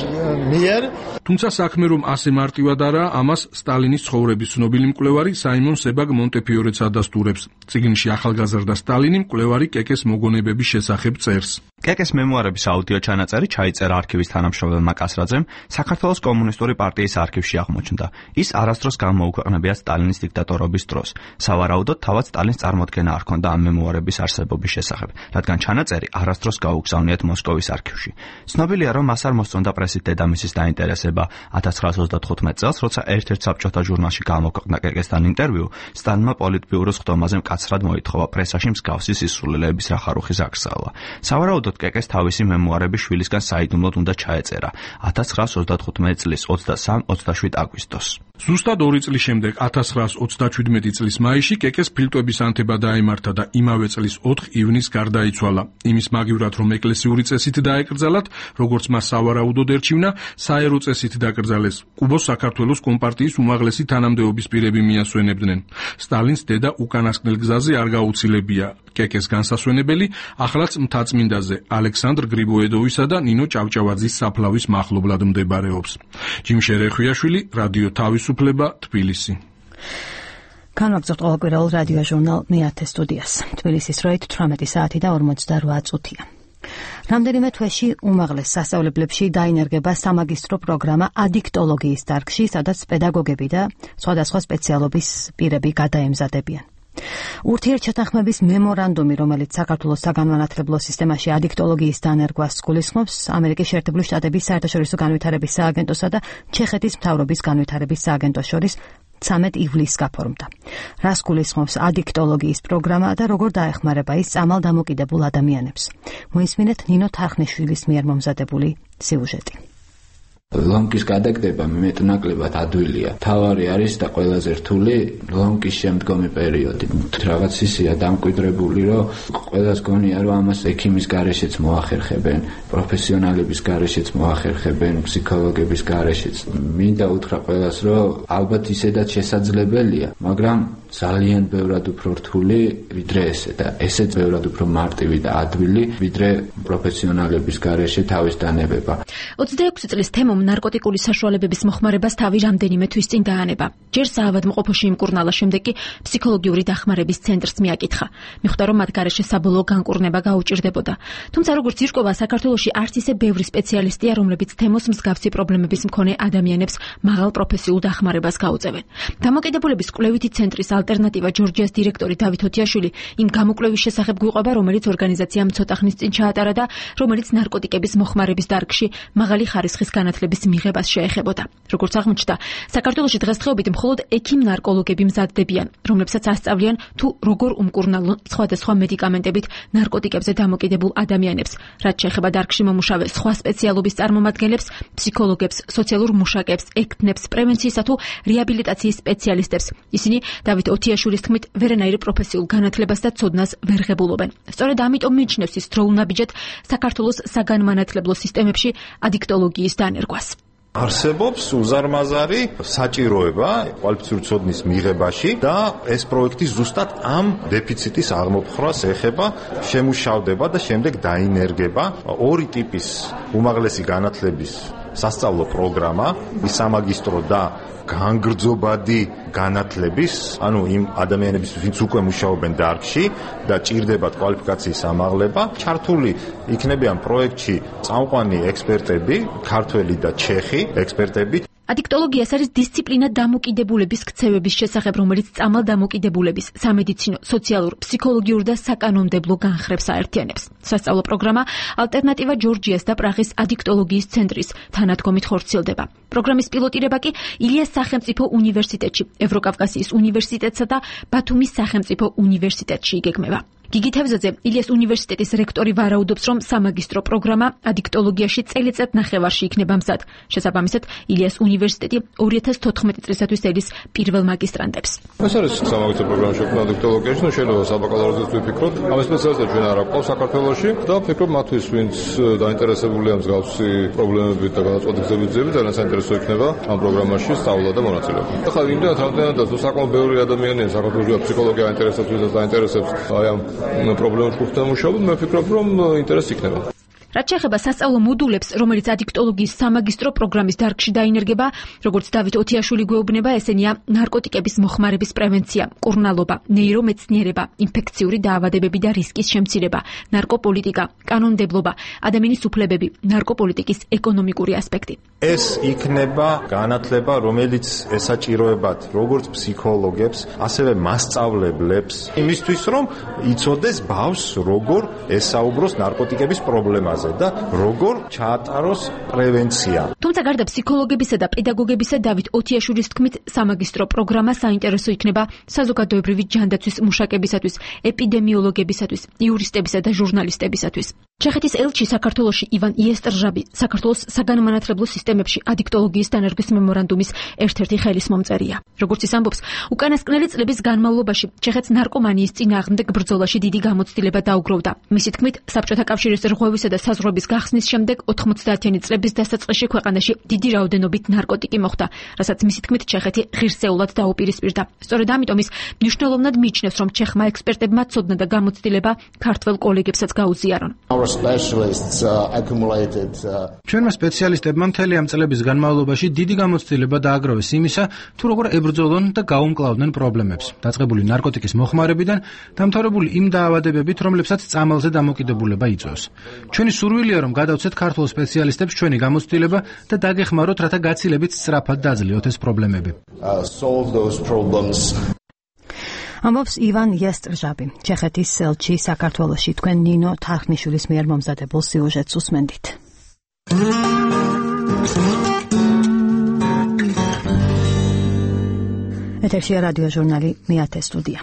მიერ. თუმცა საქმე რომ ასე მარტივად არაა, ამას სტალინის ცხოვრების ცნობილი მკვლევარი საიმონ себაგ მონტეფიორეც ადასტურებს. წიგნში ახალგაზრდა სტალინი მკვლევარი კეკეს მოგონებების შესახებ წერს. კეკეს მემუარების აუდიო ჩანაწერი ჩაიწერა არქივის თანამშრომელმა კასრაძემ, საქართველოს კომუნისტური პარტიის არქივში აღმოჩნდა. ის არასდროს გამოუქვეყნებია სტალინის დიქტატორობის დროს. სავარაუდოდ თავად სტალინს წარმოდგენა არ ჰქონდა ამ მემუარების არსებობის შესახებ, რადგან ჩანაწერი არასდროს გაუგზავნიათ მოსკოვის არქივში. ცნობილია, რომ მას არ მოსწონდა პრესით დედამისის დაინტერესება. 1935 წელს, როცა ერთ-ერთ საბჭოთა ჟურნალში გამოქვეყნდა კეკესთან ინტერვიუ, სტალინმა პოლიტბიუროს ხდომაზე მკაცრად მოითხოვა პრესაში მსგავსი სისულელეების რახარუხის აღსავლა. სავარაუდოდ კეკეს თავისი მემუარები შვილისგან საიდუმლოდ უნდა ჩაეწერა 1935 წლის 23-27 აგვისტოს. ზუსტად 2 წლის შემდეგ 1937 წლის მაისში კეკეს ფილტვების ანთება დაემართა და იმავე წლის 4 ივნისს გარდაიცვალა. იმის მაგივრად, რომ ეკლესიური წესით დაეკრძალათ, როგორც მას სავარაუდოდ ერჩივნა, საერო წესით დაკრძალეს. კუბოს საქართველოს კომპარტიის უმაღლესი თანამდებობის პირები მიასვენებდნენ. სტალინს დედა უკანასკნელ გზაზე არ გაუცილებია. კეკეს განსასვენებელი ახლაც მთაწმინდაზე ალექსანდრ გრიბოედოვისა და ნინო ჭავჭავაძის საფლავის მახლობლად მდებარეობს. ჯიმშე რეხვიაშვილი, რადიო თავისუფლება, თბილისი. განვაგრძობთ ყოველკვირეულ რადიო ჟურნალ მეათე სტუდიას. თბილისის დროით 18 საათი და 48 წუთია. რამდენიმე თვეში უმაღლეს სასწავლებლებში დაინერგება სამაგისტრო პროგრამა ადიქტოლოგიის დარგში, სადაც პედაგოგები და სხვადასხვა სპეციალობის პირები გადაემზადებიან. ურთიერთჩათანხმების მემორანდუმი, რომელიც საქართველოს საგანმანათლებლო სისტემაში ადიქტოლოგიის დანერგვას გულისხმობს, ამერიკის შეერთებული შტატების საერთაშორისო განვითარების სააგენტოსა და ჩეხეთის მთავრობის განვითარების სააგენტოს შორის 13 ივლისს გაფორმდა. რას გულისხმობს ადიქტოლოგიის პროგრამა და როგორ დაეხმარება ის წამალდამოკიდებულ ადამიანებს? მოისმინეთ ნინო თარხნიშვილის მიერ მომზადებული სიუჟეტი. ლომკის გადაგდება მეტნაკლებად ადვილია. თავარი არის და ყველაზე რთული ლომკის შემდგომი პერიოდი. რაღაც ისეა დამკვიდრებული, რომ ყველას გონია, რომ ამას ექიმის გარეშეც მოახერხებენ, პროფესიონალების გარეშეც მოახერხებენ, ფსიქოლოგების გარეშეც. მინდა უთხრა ყველას, რომ ალბათ ისედაც შესაძლებელია, მაგრამ ძალიან ბევრად უფრო რთული ვიდრე ესე და ესეც ბევრად უფრო მარტივი და ადვილი ვიდრე პროფესიონალების გარეშე თავის დანებება. 26 წლის თემომ ნარკოტიკული საშუალებების მოხმარებას თავი რამდენიმე თვის წინ დაანება. ჯერ საავადმყოფოში იმკურნალა, შემდეგ კი ფსიქოლოგიური დახმარების ცენტრს მიაკითხა. მიხვდა, რომ მათ გარეშე საბოლოო განკურნება გაუჭირდებოდა. თუმცა როგორც ირკვევა, საქართველოში არც ისე ბევრი სპეციალისტია, რომლებიც თემოს მსგავსი პრობლემების მქონე ადამიანებს მაღალ პროფესიულ დახმარებას გაუწევენ. დამოკიდებულების კვლევითი ცენტრის ალტერნატივა ჯორჯიას დირექტორი დავით ოტიაშვილი იმ გამოკვლევის შესახებ გვიყვება, რომელიც ორგანიზაციამ ცოტა ხნის წინ ჩაატარა და რომელიც ნარკოტიკების მოხმარების დარგში მაღალი ხარისხის განათლების მიღებას შეეხებოდა. როგორც აღმოჩნდა, საქართველოში დღესდღეობით მხოლოდ ექიმ-ნარკოლოგები მზადდებიან, რომლებსაც ასწავლიან თუ როგორ უმკურნალონ სხვადასხვა მედიკამენტებით ნარკოტიკებზე დამოკიდებულ ადამიანებს, რაც შეეხება დარგში მომუშავე სხვა სპეციალობის წარმომადგენლებს, ფსიქოლოგებს, სოციალურ მუშაკებს, ექთნებს, პრევენციისა თუ რეაბილიტაციის სპეციალისტებს. ისინი დავით ოტიაშვილის თქმით, ვერანაირ პროფესიულ განათლებას და ცოდნას ვერ ღებულობენ. სწორედ ამიტომ მიიჩნევს ის დროუნაბიჯეთ საქართველოს საგანმანათლებლო სისტემებში ადიქტოლოგიის დანერგვას. არსებობს უზარმაზარი საჭიროება კვალიფიციური ცოდნის მიღებაში და ეს პროექტი ზუსტად ამ დეფიციტის აღმოფხვრას ეხება, შემუშავდება და შემდეგ დაინერგება ორი ტიპის უმაღლესი განათლების სასწავლო პროგრამა, სამაგისტრო და განგრძობადი განათლების, ანუ იმ ადამიანების, ვინც უკვე მუშაობენ დარგში და ჭირდებათ კვალიფიკაციის ამაღლება, ჩართული იქნებიან პროექტში წამყვანი ექსპერტები, ქართველი და ჩეხი ექსპერტები. ადიქტოლოგიას არის დისციპლინა დამოკიდებულების ქცევების შესახებ, რომელიც წამალდამოკიდებულების, სამედიცინო, სოციალურ, ფსიქოლოგიურ და საკანონმდებლო განხრებს აერთიანებს. სასწავლო პროგრამა ალტერნატივა ჯორჯიას და პრაღის ადიქტოლოგიის ცენტრის თანადგომით ხორციელდება. პროგრამის პილოტირება კი ილიას სახელმწიფო უნივერსიტეტში, ევროკავკასიის უნივერსიტეტსა და ბათუმის სახელმწიფო უნივერსიტეტში იგეგმება. გიგი თევზაძე, ილიას უნივერსიტეტის რექტორი ვარაუდობს, რომ სამაგისტრო პროგრამა ადიქტოლოგიაში წელიწად ნახევარში იქნება მზად. შესაბამისად, ილიას უნივერსიტეტი 2014 წლისათვის ელის პირველ მაგისტრანტებს. ეს არის სამაგისტრო პროგრამა შექმნა ადიქტოლოგიაში, ну შეიძლება საბაკალავრიოზეც ვიფიქროთ. ამ სპეციალისტებს ჩვენ არ აქვს საქართველოში და ვფიქრობ მათთვის, ვინც დაინტერესებულია მსგავსი პრობლემებით და განაწყვეტილებით ძიებით, ძალიან საინტერესო იქნება ამ პროგრამაში სწავლა და მონაწილეობა. ახლა იმდენად რამდენადაც საკმაოდ ბევრი ადამიანია საქართველოში ფსიქოლოგია აინტერესებს, ვისაც დაინტერესებს აი ამ პრობლემებში ხუთამუშაობ, მე ვფიქრობ, რომ ინტერესი იქნება. რაც შეეხება სასწავლო მოდულებს, რომელიც ადიქტოლოგიის სამაგისტრო პროგრამის დარგში დაინერგება, როგორც დავით ოტიაშვილი გვეუბნება, ესენია ნარკოტიკების მოხმარების პრევენცია, მკურნალობა, ნეირომეცნიერება, ინფექციური დაავადებები და რისკის შემცირება, ნარკოპოლიტიკა, კანონმდებლობა, ადამიანის უფლებები, ნარკოპოლიტიკის ეკონომიკური ასპექტი. ეს იქნება განათლება, რომელიც ესაჭიროებათ როგორც ფსიქოლოგებს, ასევე მასწავლებლებს, იმისთვის, რომ იცოდეს ბავშვს როგორ ესაუბროს ნარკოტიკების პრობლემაზე და როგორ ჩაატაროს პრევენცია. თუმცა გარდა ფსიქოლოგებისა და პედაგოგებისა, დავით ოტიაშვილის თქმით, სამაგისტრო პროგრამა საინტერესო იქნება საზოგადოებრივი ჯანდაცვის მუშაკებისათვის, ეპიდემიოლოგებისათვის, იურისტებისა და ჟურნალისტებისათვის. ჩეხეთის ელჩი საქართველოში ივან იესტრჟაბი საქართველოს საგანმანათლებლო სისტემებში ადიქტოლოგიის დანერგვის მემორანდუმის ერთ-ერთი ხელისმომწერია. როგორც ის ამბობს, უკანასკნელი წლების განმავლობაში ჩეხეთს ნარკომანიის წინააღმდეგ ბრძოლაში დიდი გამოცდილება დაუგროვდა. მისი თქმით, საბჭოთა კავშირის რღვევისა და საზღვრების გახსნის შემდეგ 90-იანი წლების დასაწყისში ქვეყანაში დიდი რაოდენობით ნარკოტიკი მოხდა, რასაც მისი თქმით ჩეხეთი ღირსეულად დაუპირისპირდა. სწორედ ამიტომ ის მნიშვნელოვნად მიიჩნევს, რომ ჩეხმა ექსპერტებმა ცოდნა და გამოცდილება ქართველ კოლეგებსაც გაუზიარონ. Our ჩვენმა სპეციალისტებმა მთელი ამ წლების განმავლობაში დიდი გამოცდილება დააგროვეს იმისა, თუ როგორ ებრძოლონ და გაუმკლავდნენ პრობლემებს, დაწყებული ნარკოტიკის მოხმარებიდან, დამთავრებული იმ დაავადებებით, რომლებსაც წამალზე დამოკიდებულება იწვევს. ჩვენი სურვილია, რომ გადავცეთ ქართულ სპეციალისტებს ჩვენი გამოცდილება და დაგეხმაროთ, რათა გაცილებით სწრაფად დაძლიოთ ეს პრობლემები. ამბობს ივან იასტრჟაბი, ჩეხეთის ელჩი საქართველოში. თქვენ ნინო თარხნიშვილის მიერ მომზადებულ სიუჟეტს უსმენდით. ეთერშია რადიო ჟურნალი მეათე სტუდია.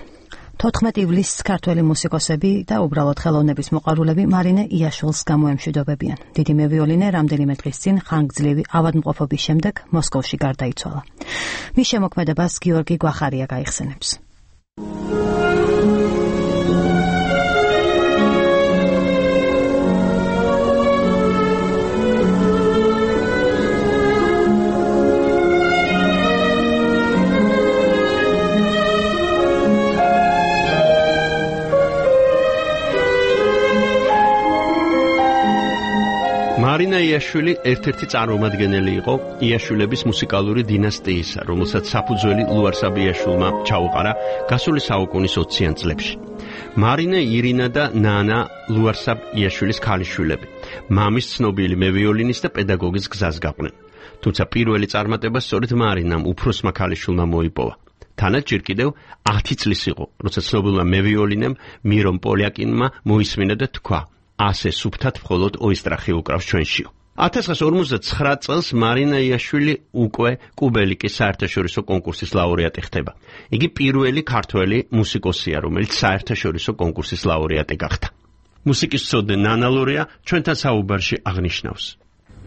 14 ივლისს ქართველი მუსიკოსები და უბრალოდ ხელოვნების მოყვარულები მარინე იაშვილს გამოემშვიდობებიან. დიდი მევიოლინე რამდენიმე დღის წინ ხანგრძლივი ავადმყოფობის შემდეგ მოსკოვში გარდაიცვალა. მის შემოქმედებას გიორგი გვახარია გაიხსენებს. მარინა იაშვილი ერთ-ერთი წარმომადგენელი იყო იაშვილების მუსიკალური დინასტიისა, რომელსაც საფუძველი ლუარსაბ იაშვილმა ჩაუყარა გასული საუკუნის 20-იან წლებში. მარინა, ირინა და ნანა ლუარსაბ იაშვილის ქალიშვილები, მამის ცნობილი მევიოლინის და პედაგოგის გზას გაყვნენ. თუმცა პირველი წარმატება სწორედ მარინამ უფროსმა ქალიშვილმა მოიპოვა. თანაც ჯერ კიდევ 10 წლის იყო, როცა ცნობილმა მევიოლინემ მირომ პოლიაკინმა მოისმინა და თქვა: ასე სუფთად მხოლოდ ოისტრახი უკრავს ჩვენშიო. 1959 წელს მარინა იაშვილი უკვე კუბელიკის საერთაშორისო კონკურსის ლაურეატი ხდება. იგი პირველი ქართველი მუსიკოსია, რომელიც საერთაშორისო კონკურსის ლაურეატი გახდა. მუსიკის მცოდნე ნანა ლორია ჩვენთან საუბარში აღნიშნავს.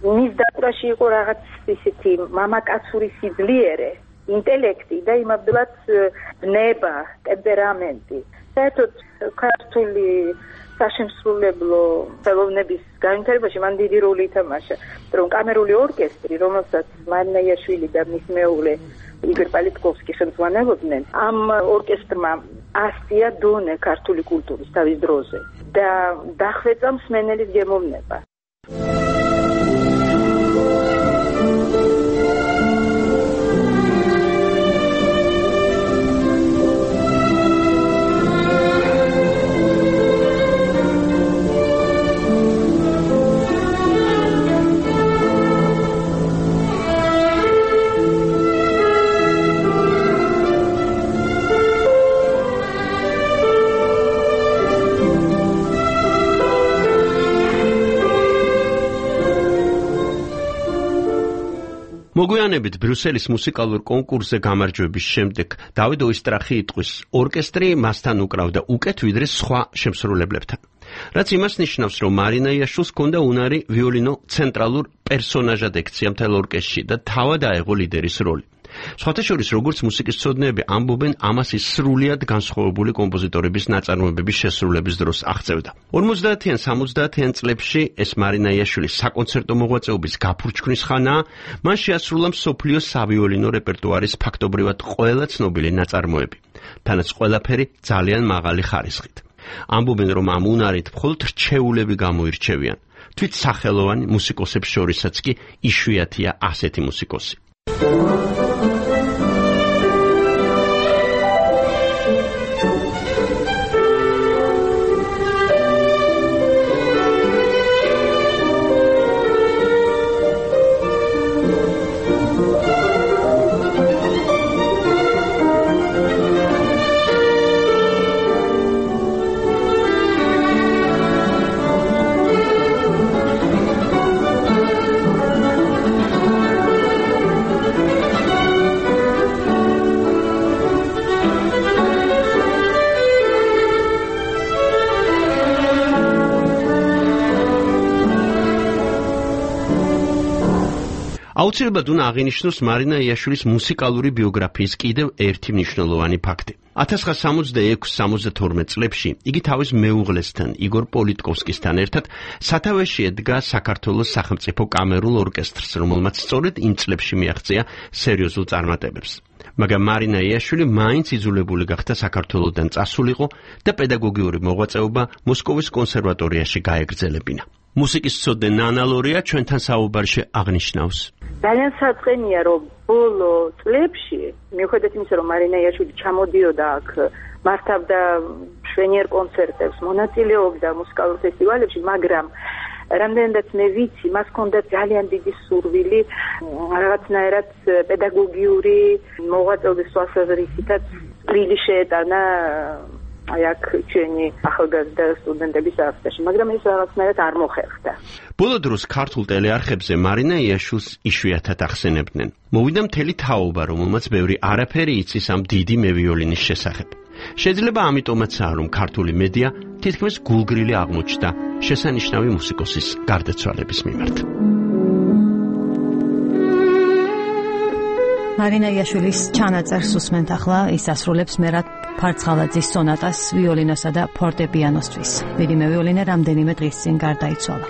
მის დაკვრაში იყო რაღაც ისეთი მამაკაცური სიძლიერე, ინტელექტი და იმავდროულად ნება, ტემპერამენტი. საერთოდ ქართული საშემსრულებლო ხელოვნების განვითარებაში მან დიდი როლი ითამაშა, რომ კამერული ორკესტრი, რომელსაც მარინა იაშვილი და მის მეუღლე იგორ პალიტკოვსკი ხელმძღვანელობდნენ, ამ ორკესტრმა ასწია დონე ქართული კულტურის თავის დროზე და დახვეწა მსმენელის გემოვნება. მოგვიანებით ბრიუსელის მუსიკალურ კონკურსზე გამარჯვების შემდეგ დავით ოისტრახი იტყვის, ორკესტრი მასთან უკრავდა უკეთ ვიდრე სხვა შემსრულებლებთან. რაც იმას ნიშნავს, რომ მარინა იაშვილს ჰქონდა უნარი ვიოლინო ცენტრალურ პერსონაჟად ექცია მთელ ორკესტრში და თავად აეღო ლიდერის როლი. სხვათა შორის, როგორც მუსიკის მცოდნეები ამბობენ, ამას ის სრულიად განსხვავებული კომპოზიტორების ნაწარმოებების შესრულების დროს აღწევდა. 50-იან 70-იან წლებში ეს მარინა იაშვილის საკონცერტო მოღვაწეობის გაფურჩქვის ხანაა, მან შეასრულა მსოფლიოს სავიოლინო რეპერტუარის ფაქტობრივად ყველა ცნობილი ნაწარმოები. თანაც ყველაფერი ძალიან მაღალი ხარისხით. ამბობენ, რომ ამ უნარით მხოლოდ რჩეულები გამოირჩევიან. თვით სახელოვანი მუსიკოსებს შორისაც კი იშვიათია ასეთი მუსიკოსი. აუცილებლად უნდა აღინიშნოს მარინა იაშვილის მუსიკალური ბიოგრაფიის კიდევ ერთი მნიშვნელოვანი ფაქტი. 1966-72 წლებში იგი თავის მეუღლესთან, იგორ პოლიტკოვსკისთან ერთად სათავეში ედგა საქართველოს სახელმწიფო კამერულ ორკესტრს, რომელმაც სწორედ იმ წლებში მიაღწია სერიოზულ წარმატებებს. მაგრამ მარინა იაშვილი მაინც იძულებული გახდა საქართველოდან წასულიყო და პედაგოგიური მოღვაწეობა მოსკოვის კონსერვატორიაში გაეგრძელებინა. მუსიკის მცოდნე ნანა ლორია ჩვენთან საუბარში აღნიშნავს. ძალიან საწყენია, რომ ბოლო წლებში, მიუხედავად იმისა, რომ მარინა იაშვილი ჩამოდიოდა აქ, მართავდა მშვენიერ კონცერტებს, მონაწილეობდა მუსიკალურ ფესტივალებში, მაგრამ რამდენადაც მე ვიცი, მას ჰქონდა ძალიან დიდი სურვილი რაღაცნაირად პედაგოგიური მოღვაწეობის თვალსაზრისითაც წვლილი შეეტანა აი აქ ჩვენი ახალგაზრდა სტუდენტების არხებში, მაგრამ ეს რაღაცნაირად არ მოხერხდა. ბოლო დროს ქართულ ტელეარხებზე მარინა იაშვილს იშვიათად ახსენებდნენ. მოვიდა მთელი თაობა, რომელმაც ბევრი არაფერი იცის ამ დიდი მევიოლინის შესახებ. შეიძლება ამიტომაცაა, რომ ქართული მედია თითქმის გულგრილი აღმოჩნდა შესანიშნავი მუსიკოსის გარდაცვალების მიმართ. მარინა იაშვილის ჩანაწერს უსმენთ ახლა, ის ასრულებს მერად ფარცხალაძის სონატას ვიოლინოსა და ფორტეპიანოსთვის. დიდი მევიოლინე რამდენიმე დღის წინ გარდაიცვალა.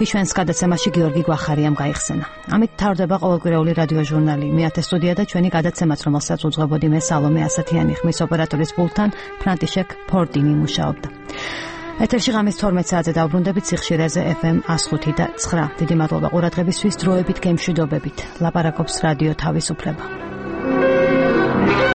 იშვენს გადაცემაში გიორგი გვახარიამ გაიხსენა. ამით თავდება ყოველკვირეული რადიო ჟურნალი. მე ათე სტუდია და ჩვენი გადაცემაც, რომელსაც უძღვებოდი მე სალომე ასათიანი, ხმის ოპერატორის პულტთან ფრანტიშეკ ფორტინი მუშაობდა. ეთერში ღამის 12 საათზე დავბრუნდებით სიხშირეზე FM 105 და 9. დიდი მადლობა ყურადღებისთვის, დროებით გემშვიდობებით. ლაპარაკობს რადიო თავისუფლება.